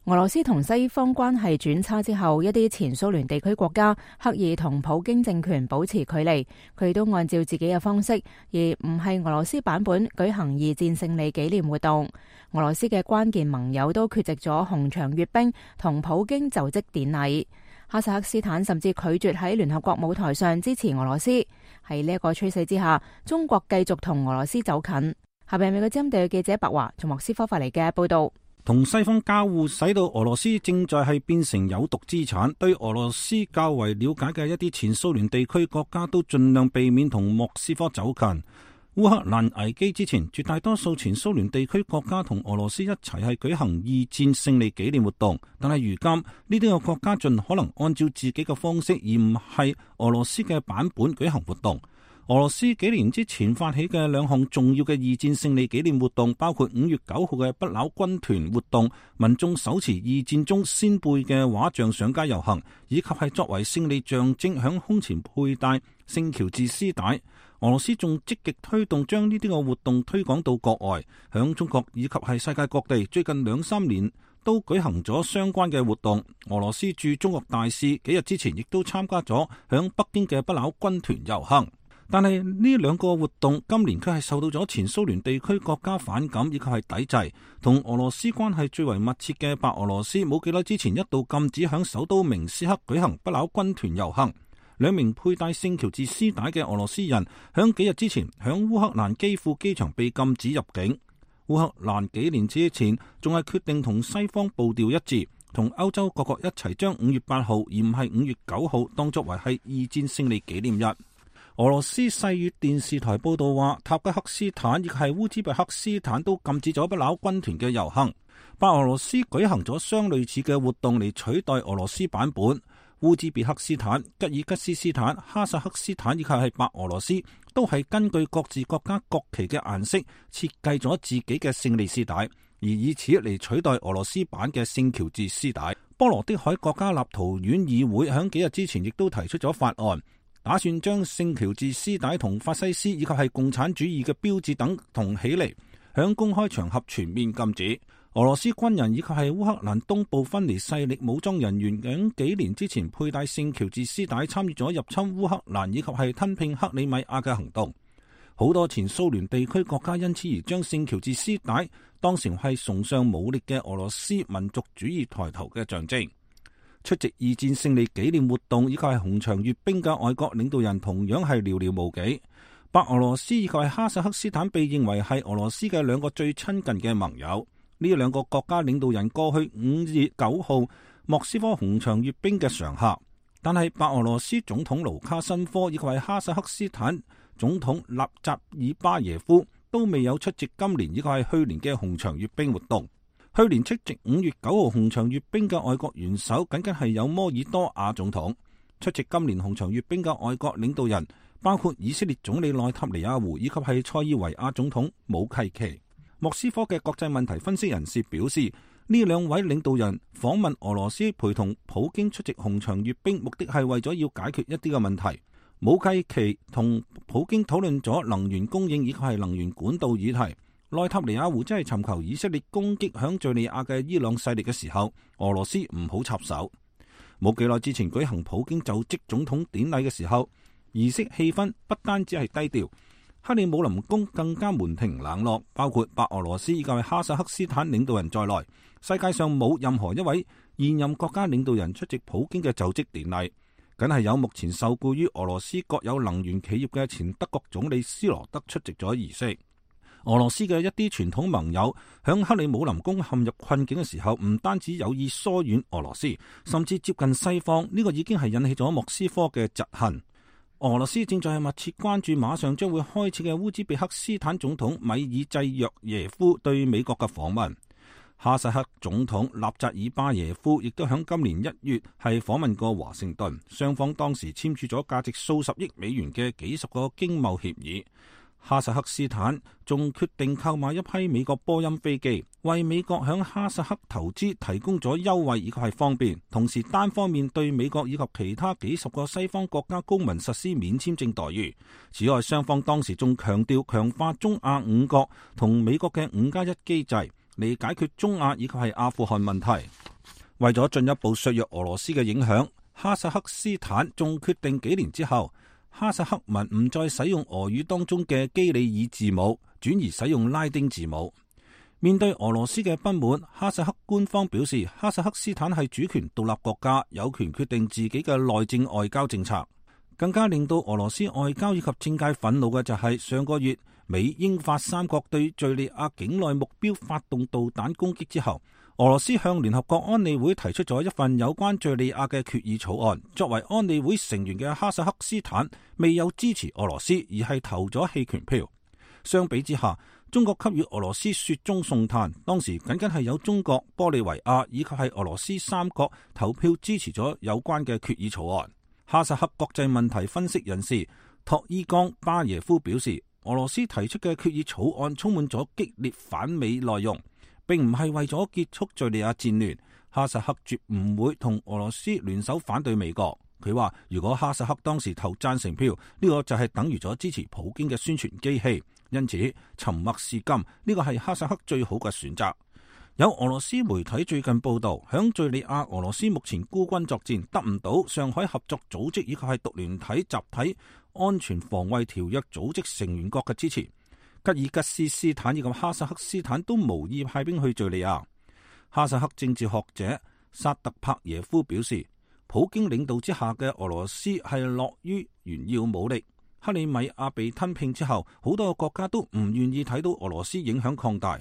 俄羅斯同西方關係轉差之後，一啲前蘇聯地區國家刻意同普京政權保持距離，佢都按照自己嘅方式，而唔係俄羅斯版本舉行二戰勝利紀念活動。俄羅斯嘅關鍵盟友都缺席咗紅場閱兵同普京就職典禮。哈薩克斯坦甚至拒絕喺聯合國舞台上支持俄羅斯。喺呢一個趨勢之下，中國繼續同俄羅斯走近。下邊美國之音地記者白華從莫斯科發嚟嘅報道。同西方交互，使到俄羅斯正在係變成有毒資產。對俄羅斯較為了解嘅一啲前蘇聯地區國家都盡量避免同莫斯科走近。烏克蘭危機之前，絕大多數前蘇聯地區國家同俄羅斯一齊係舉行二戰勝利紀念活動，但係如今呢啲個國家盡可能按照自己嘅方式，而唔係俄羅斯嘅版本舉行活動。俄羅斯幾年之前發起嘅兩項重要嘅二戰勝利紀念活動，包括五月九號嘅不朽軍團活動，民眾手持二戰中先輩嘅畫像上街遊行，以及係作為勝利象徵響胸前佩戴聖喬治絲帶。俄羅斯仲積極推動將呢啲個活動推廣到國外，響中國以及係世界各地，最近兩三年都舉行咗相關嘅活動。俄羅斯駐中國大使幾日之前亦都參加咗響北京嘅不朽軍團遊行。但係呢兩個活動今年卻係受到咗前蘇聯地區國家反感以及係抵制。同俄羅斯關係最為密切嘅白俄羅斯冇幾耐之前一度禁止響首都明斯克舉行不朽軍團遊行。兩名佩戴聖喬治絲帶嘅俄羅斯人響幾日之前響烏克蘭基輔機場被禁止入境。烏克蘭幾年之前仲係決定同西方步調一致，同歐洲各國一齊將五月八號而唔係五月九號當作為係二戰勝利紀念日。俄羅斯世越電視台報道話，塔吉克斯坦亦係烏茲別克斯坦都禁止咗不朽軍團嘅遊行。白俄羅斯舉行咗相類似嘅活動嚟取代俄羅斯版本。烏茲別克斯坦、吉爾吉斯斯坦、哈薩克斯坦以及係白俄羅斯都係根據各自國家國旗嘅顏色設計咗自己嘅勝利絲帶，而以此嚟取代俄羅斯版嘅聖喬治絲帶。波羅的海國家立陶宛議會喺幾日之前亦都提出咗法案，打算將聖喬治絲帶同法西斯以及係共產主義嘅標誌等同起嚟，響公開場合全面禁止。俄羅斯軍人以及係烏克蘭東部分離勢力武裝人員喺幾年之前佩戴聖喬治絲帶參與咗入侵烏克蘭以及係吞併克里米亞嘅行動。好多前蘇聯地區國家因此而將聖喬治絲帶當成係崇尚武力嘅俄羅斯民族主義抬頭嘅象徵。出席二戰勝利紀念活動以及係紅場閱兵嘅外國領導人同樣係寥寥無幾。白俄羅斯以及係哈薩克斯坦被認為係俄羅斯嘅兩個最親近嘅盟友。呢兩個國家領導人過去五月九號莫斯科紅場閱兵嘅常客。但係白俄羅斯總統盧卡申科以及係哈薩克斯坦總統納扎爾巴耶夫都未有出席今年以及係去年嘅紅場閱兵活動。去年出席五月九號紅場閱兵嘅外國元首僅僅係有摩爾多瓦總統。出席今年紅場閱兵嘅外國領導人包括以色列總理內塔尼亞胡以及係塞爾維亞總統武契奇。莫斯科嘅國際問題分析人士表示，呢兩位領導人訪問俄羅斯，陪同普京出席紅場閱兵，目的係為咗要解決一啲嘅問題。武契奇同普京討論咗能源供應以及係能源管道議題。內塔尼亞胡真係尋求以色列攻擊響敘利亞嘅伊朗勢力嘅時候，俄羅斯唔好插手。冇幾耐之前舉行普京就職總統典禮嘅時候，儀式氣氛不單止係低調，克里姆林宮更加門庭冷落，包括白俄羅斯以及哈薩克斯坦領導人在內，世界上冇任何一位現任國家領導人出席普京嘅就職典禮，僅係有目前受雇於俄羅斯國有能源企業嘅前德國總理施羅德出席咗儀式。俄羅斯嘅一啲傳統盟友響克里姆林宮陷入困境嘅時候，唔單止有意疏遠俄羅斯，甚至接近西方，呢個已經係引起咗莫斯科嘅嫉恨。俄羅斯正在密切關注馬上將會開始嘅烏茲別克斯坦總統米爾濟約耶夫對美國嘅訪問。哈薩克總統納扎爾巴耶夫亦都響今年一月係訪問過華盛頓，雙方當時簽署咗價值數十億美元嘅幾十個經貿協議。哈薩克斯坦仲決定購買一批美國波音飛機，為美國響哈薩克投資提供咗優惠以及係方便，同時單方面對美國以及其他幾十個西方國家公民實施免簽證待遇。此外，雙方當時仲強調強化中亞五國同美國嘅五加一機制，嚟解決中亞以及係阿富汗問題。為咗進一步削弱俄羅斯嘅影響，哈薩克斯坦仲決定幾年之後，哈薩克民唔再使用俄語當中嘅基里爾字母，轉而使用拉丁字母。面對俄羅斯嘅不滿，哈薩克官方表示，哈薩克斯坦係主權獨立國家，有權決定自己嘅內政外交政策。更加令到俄羅斯外交以及政界憤怒嘅就係上個月美英法三國對敘利亞境內目標發動導彈攻擊之後，俄羅斯向聯合國安理會提出咗一份有關敘利亞嘅決議草案。作為安理會成員嘅哈薩克斯坦未有支持俄羅斯，而係投咗棄權票。相比之下，中國給予俄羅斯雪中送炭，當時僅僅係有中國、玻利維亞以及係俄羅斯三國投票支持咗有關嘅決議草案。哈薩克國際問題分析人士托伊岡巴耶夫表示，俄羅斯提出嘅決議草案充滿咗激烈反美內容，並唔係為咗結束敘利亞戰亂。哈薩克絕唔會同俄羅斯聯手反對美國。佢話如果哈薩克當時投贊成票，呢個就係等於咗支持普京嘅宣傳機器。因此沉默是金，呢個係哈薩克最好嘅選擇。有俄羅斯媒體最近報道，響敘利亞俄羅斯目前孤軍作戰，得唔到上海合作組織以及係獨聯體集體安全防衛條約組織成員國嘅支持。吉爾吉斯斯坦以及哈薩克斯坦都無意派兵去敘利亞。哈薩克政治學者薩特帕耶夫表示，普京領導之下嘅俄羅斯係樂於炫耀武力。克里米亞被吞併之後，好多個國家都唔願意睇到俄羅斯影響擴大。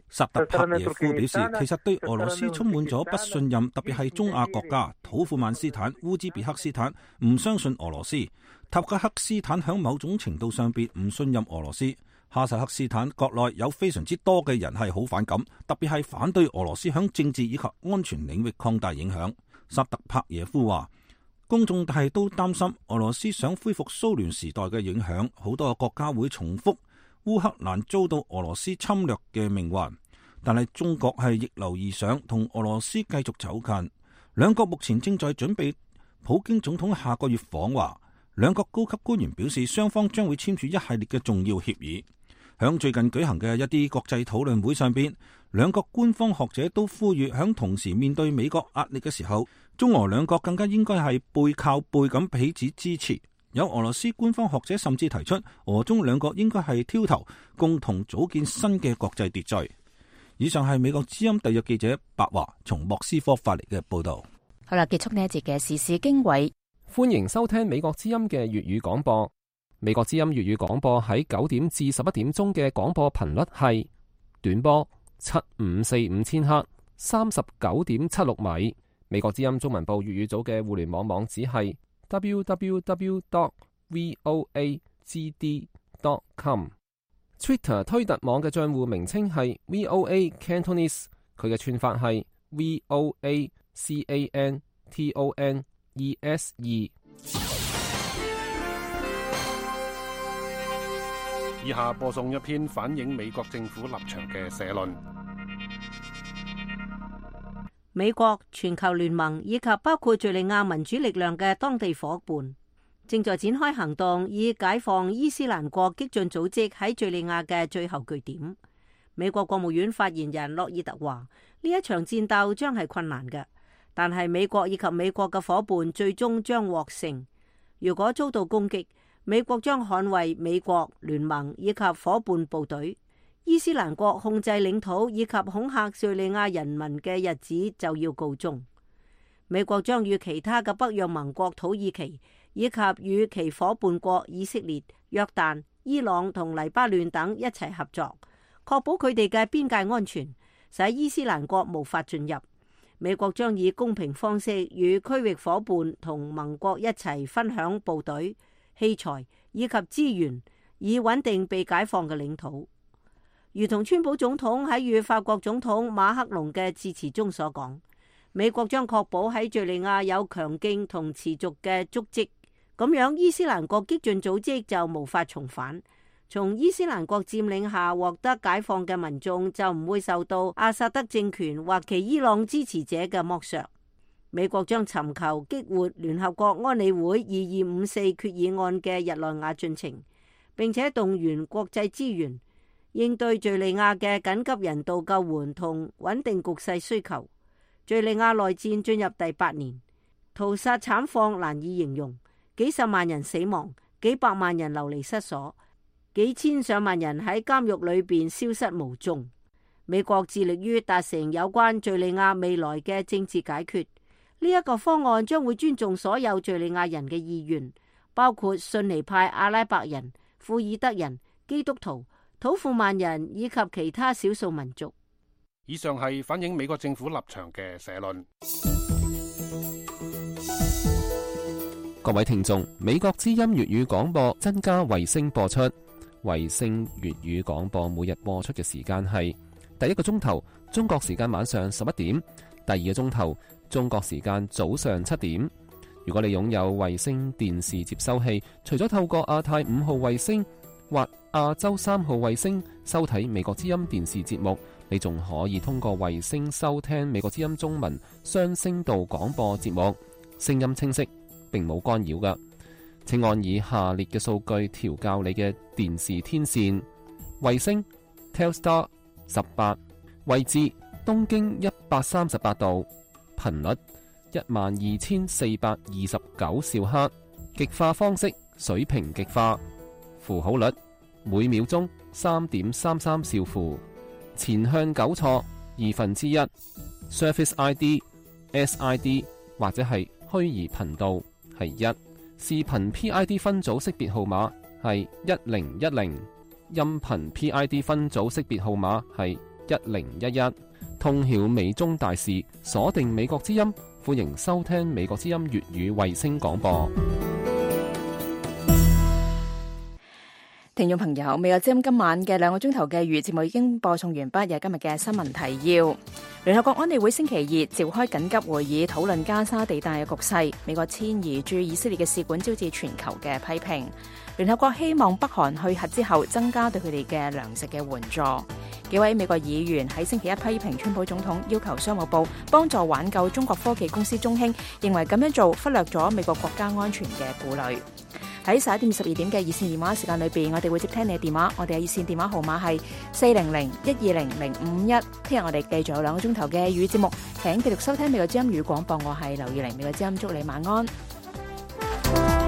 薩特帕耶夫表示，其實對俄羅斯充滿咗不信任，特別係中亞國家土庫曼斯坦、烏茲別克斯坦唔相信俄羅斯，塔吉克斯坦響某種程度上邊唔信任俄羅斯。哈薩克斯坦國內有非常之多嘅人係好反感，特別係反對俄羅斯響政治以及安全領域擴大影響。薩特帕耶夫話，公眾係都擔心俄羅斯想恢復蘇聯時代嘅影響，好多個國家會重複烏克蘭遭到俄羅斯侵略嘅命運。但係中國係逆流而上，同俄羅斯繼續走近。兩國目前正在準備普京總統下個月訪華。兩國高級官員表示，雙方將會簽署一系列嘅重要協議。響最近舉行嘅一啲國際討論會上邊，兩國官方學者都呼籲，響同時面對美國壓力嘅時候，中俄兩國更加應該係背靠背咁彼此支持。有俄羅斯官方學者甚至提出，俄中兩國應該係挑頭，共同組建新嘅國際秩序。以上係美國之音特約記者白華從莫斯科發嚟嘅報道。好啦，結束呢一節嘅時事經緯，歡迎收聽美國之音嘅粵語廣播。美國之音粵語廣播喺九點至十一點鐘嘅廣播頻率係短波七五四五千赫，三十九點七六米。美國之音中文部粵語組嘅互聯網網址係 double-u double-u double-u dot voa g d dot com。Twitter 推特網嘅賬戶名稱係 V O A Cantonese， 佢嘅串法係 V O A C A N T O N E S E。以下播送一篇反映美國政府立場嘅社論。美國、全球聯盟以及包括敘利亞民主力量嘅當地夥伴正在展開行動，以解放伊斯蘭國激進組織喺敘利亞嘅最後據點。美國國務院發言人洛爾特話：呢一場戰鬥將係困難嘅，但係美國以及美國嘅夥伴最終將獲勝。如果遭到攻擊，美國將捍衛美國聯盟以及夥伴部隊。伊斯蘭國控制領土以及恐嚇敘利亞人民嘅日子就要告終。美國將與其他嘅北約盟國土耳其以及與其夥伴國以色列、約旦、伊朗同黎巴嫩等一齊合作，確保佢哋嘅邊界安全，使伊斯蘭國無法進入。美國將以公平方式與區域夥伴同盟國一齊分享部隊、器材以及資源，以穩定被解放嘅領土。如同川普總統喺與法國總統馬克龍嘅致辭中所講，美國將確保喺敘利亞有強勁同持續嘅足跡，咁樣伊斯蘭國激進組織就無法重返。從伊斯蘭國佔領下獲得解放嘅民眾就唔會受到阿薩德政權或其伊朗支持者嘅剝削。美國將尋求激活聯合國安理會二二五四決議案嘅日內瓦進程，並且動員國際資源，應對敘利亞嘅緊急人道救援同穩定局勢需求。敘利亞內戰進入第八年，屠殺慘況難以形容，幾十萬人死亡，幾百萬人流離失所，幾千上萬人喺監獄裏邊消失無蹤。美國致力於達成有關敘利亞未來嘅政治解決，呢一個方案將會尊重所有敘利亞人嘅意願，包括遜尼派阿拉伯人、庫爾德人、基督徒、土庫曼人以及其他少數民族。以上係反映美國政府立場嘅社論。各位聽眾，美國之音粵語廣播增加衛星播出，衛星粵語廣播每日播出嘅時間係第一個鐘頭中國時間晚上十一點，第二個鐘頭中國時間早上七點。如果你擁有衛星電視接收器，除咗透過亞太五號衛星或亞洲三號衛星收睇美國之音電視節目，你仲可以通過衛星收聽美國之音中文雙聲道廣播節目，聲音清晰，並冇干擾㗎。請按以下列嘅數據調校你嘅電視天線：衛星 Telstar 十八，位置東經一百三十八度，頻率一萬二千四百二十九兆赫，極化方式水平極化，符號率每秒鐘三點三三兆符，前向糾錯二分之一 ，Surface I D、S I D 或者係虛擬頻道係一，視頻 P I D 分組識別號碼係一零一零，音頻 P I D 分組識別號碼係一零一一。通曉美中大事，鎖定美國之音，歡迎收聽美國之音粵語衛星廣播。聽眾朋友，美國之音今晚嘅兩個鐘頭嘅粵語節目已經播送完畢，有今日嘅新聞提要。聯合國安理會星期二召開緊急會議，討論加沙地帶嘅局勢。美國遷移駐以色列嘅使館招致全球嘅批評。聯合國希望北韓去核之後，增加對佢哋嘅糧食嘅援助。幾位美國議員喺星期一批評川普總統要求商務部幫助挽救中國科技公司中興，認為咁樣做忽略咗美國國家安全嘅顧慮。喺十一點十二點嘅熱線電話時間裏邊，我哋會接聽你嘅電話。我哋嘅熱線電話號碼係四零零一二零零五一。聽日我哋繼續有兩個鐘頭嘅語節目，請繼續收聽美國之音語廣播。我係劉義玲，美國之音祝你晚安。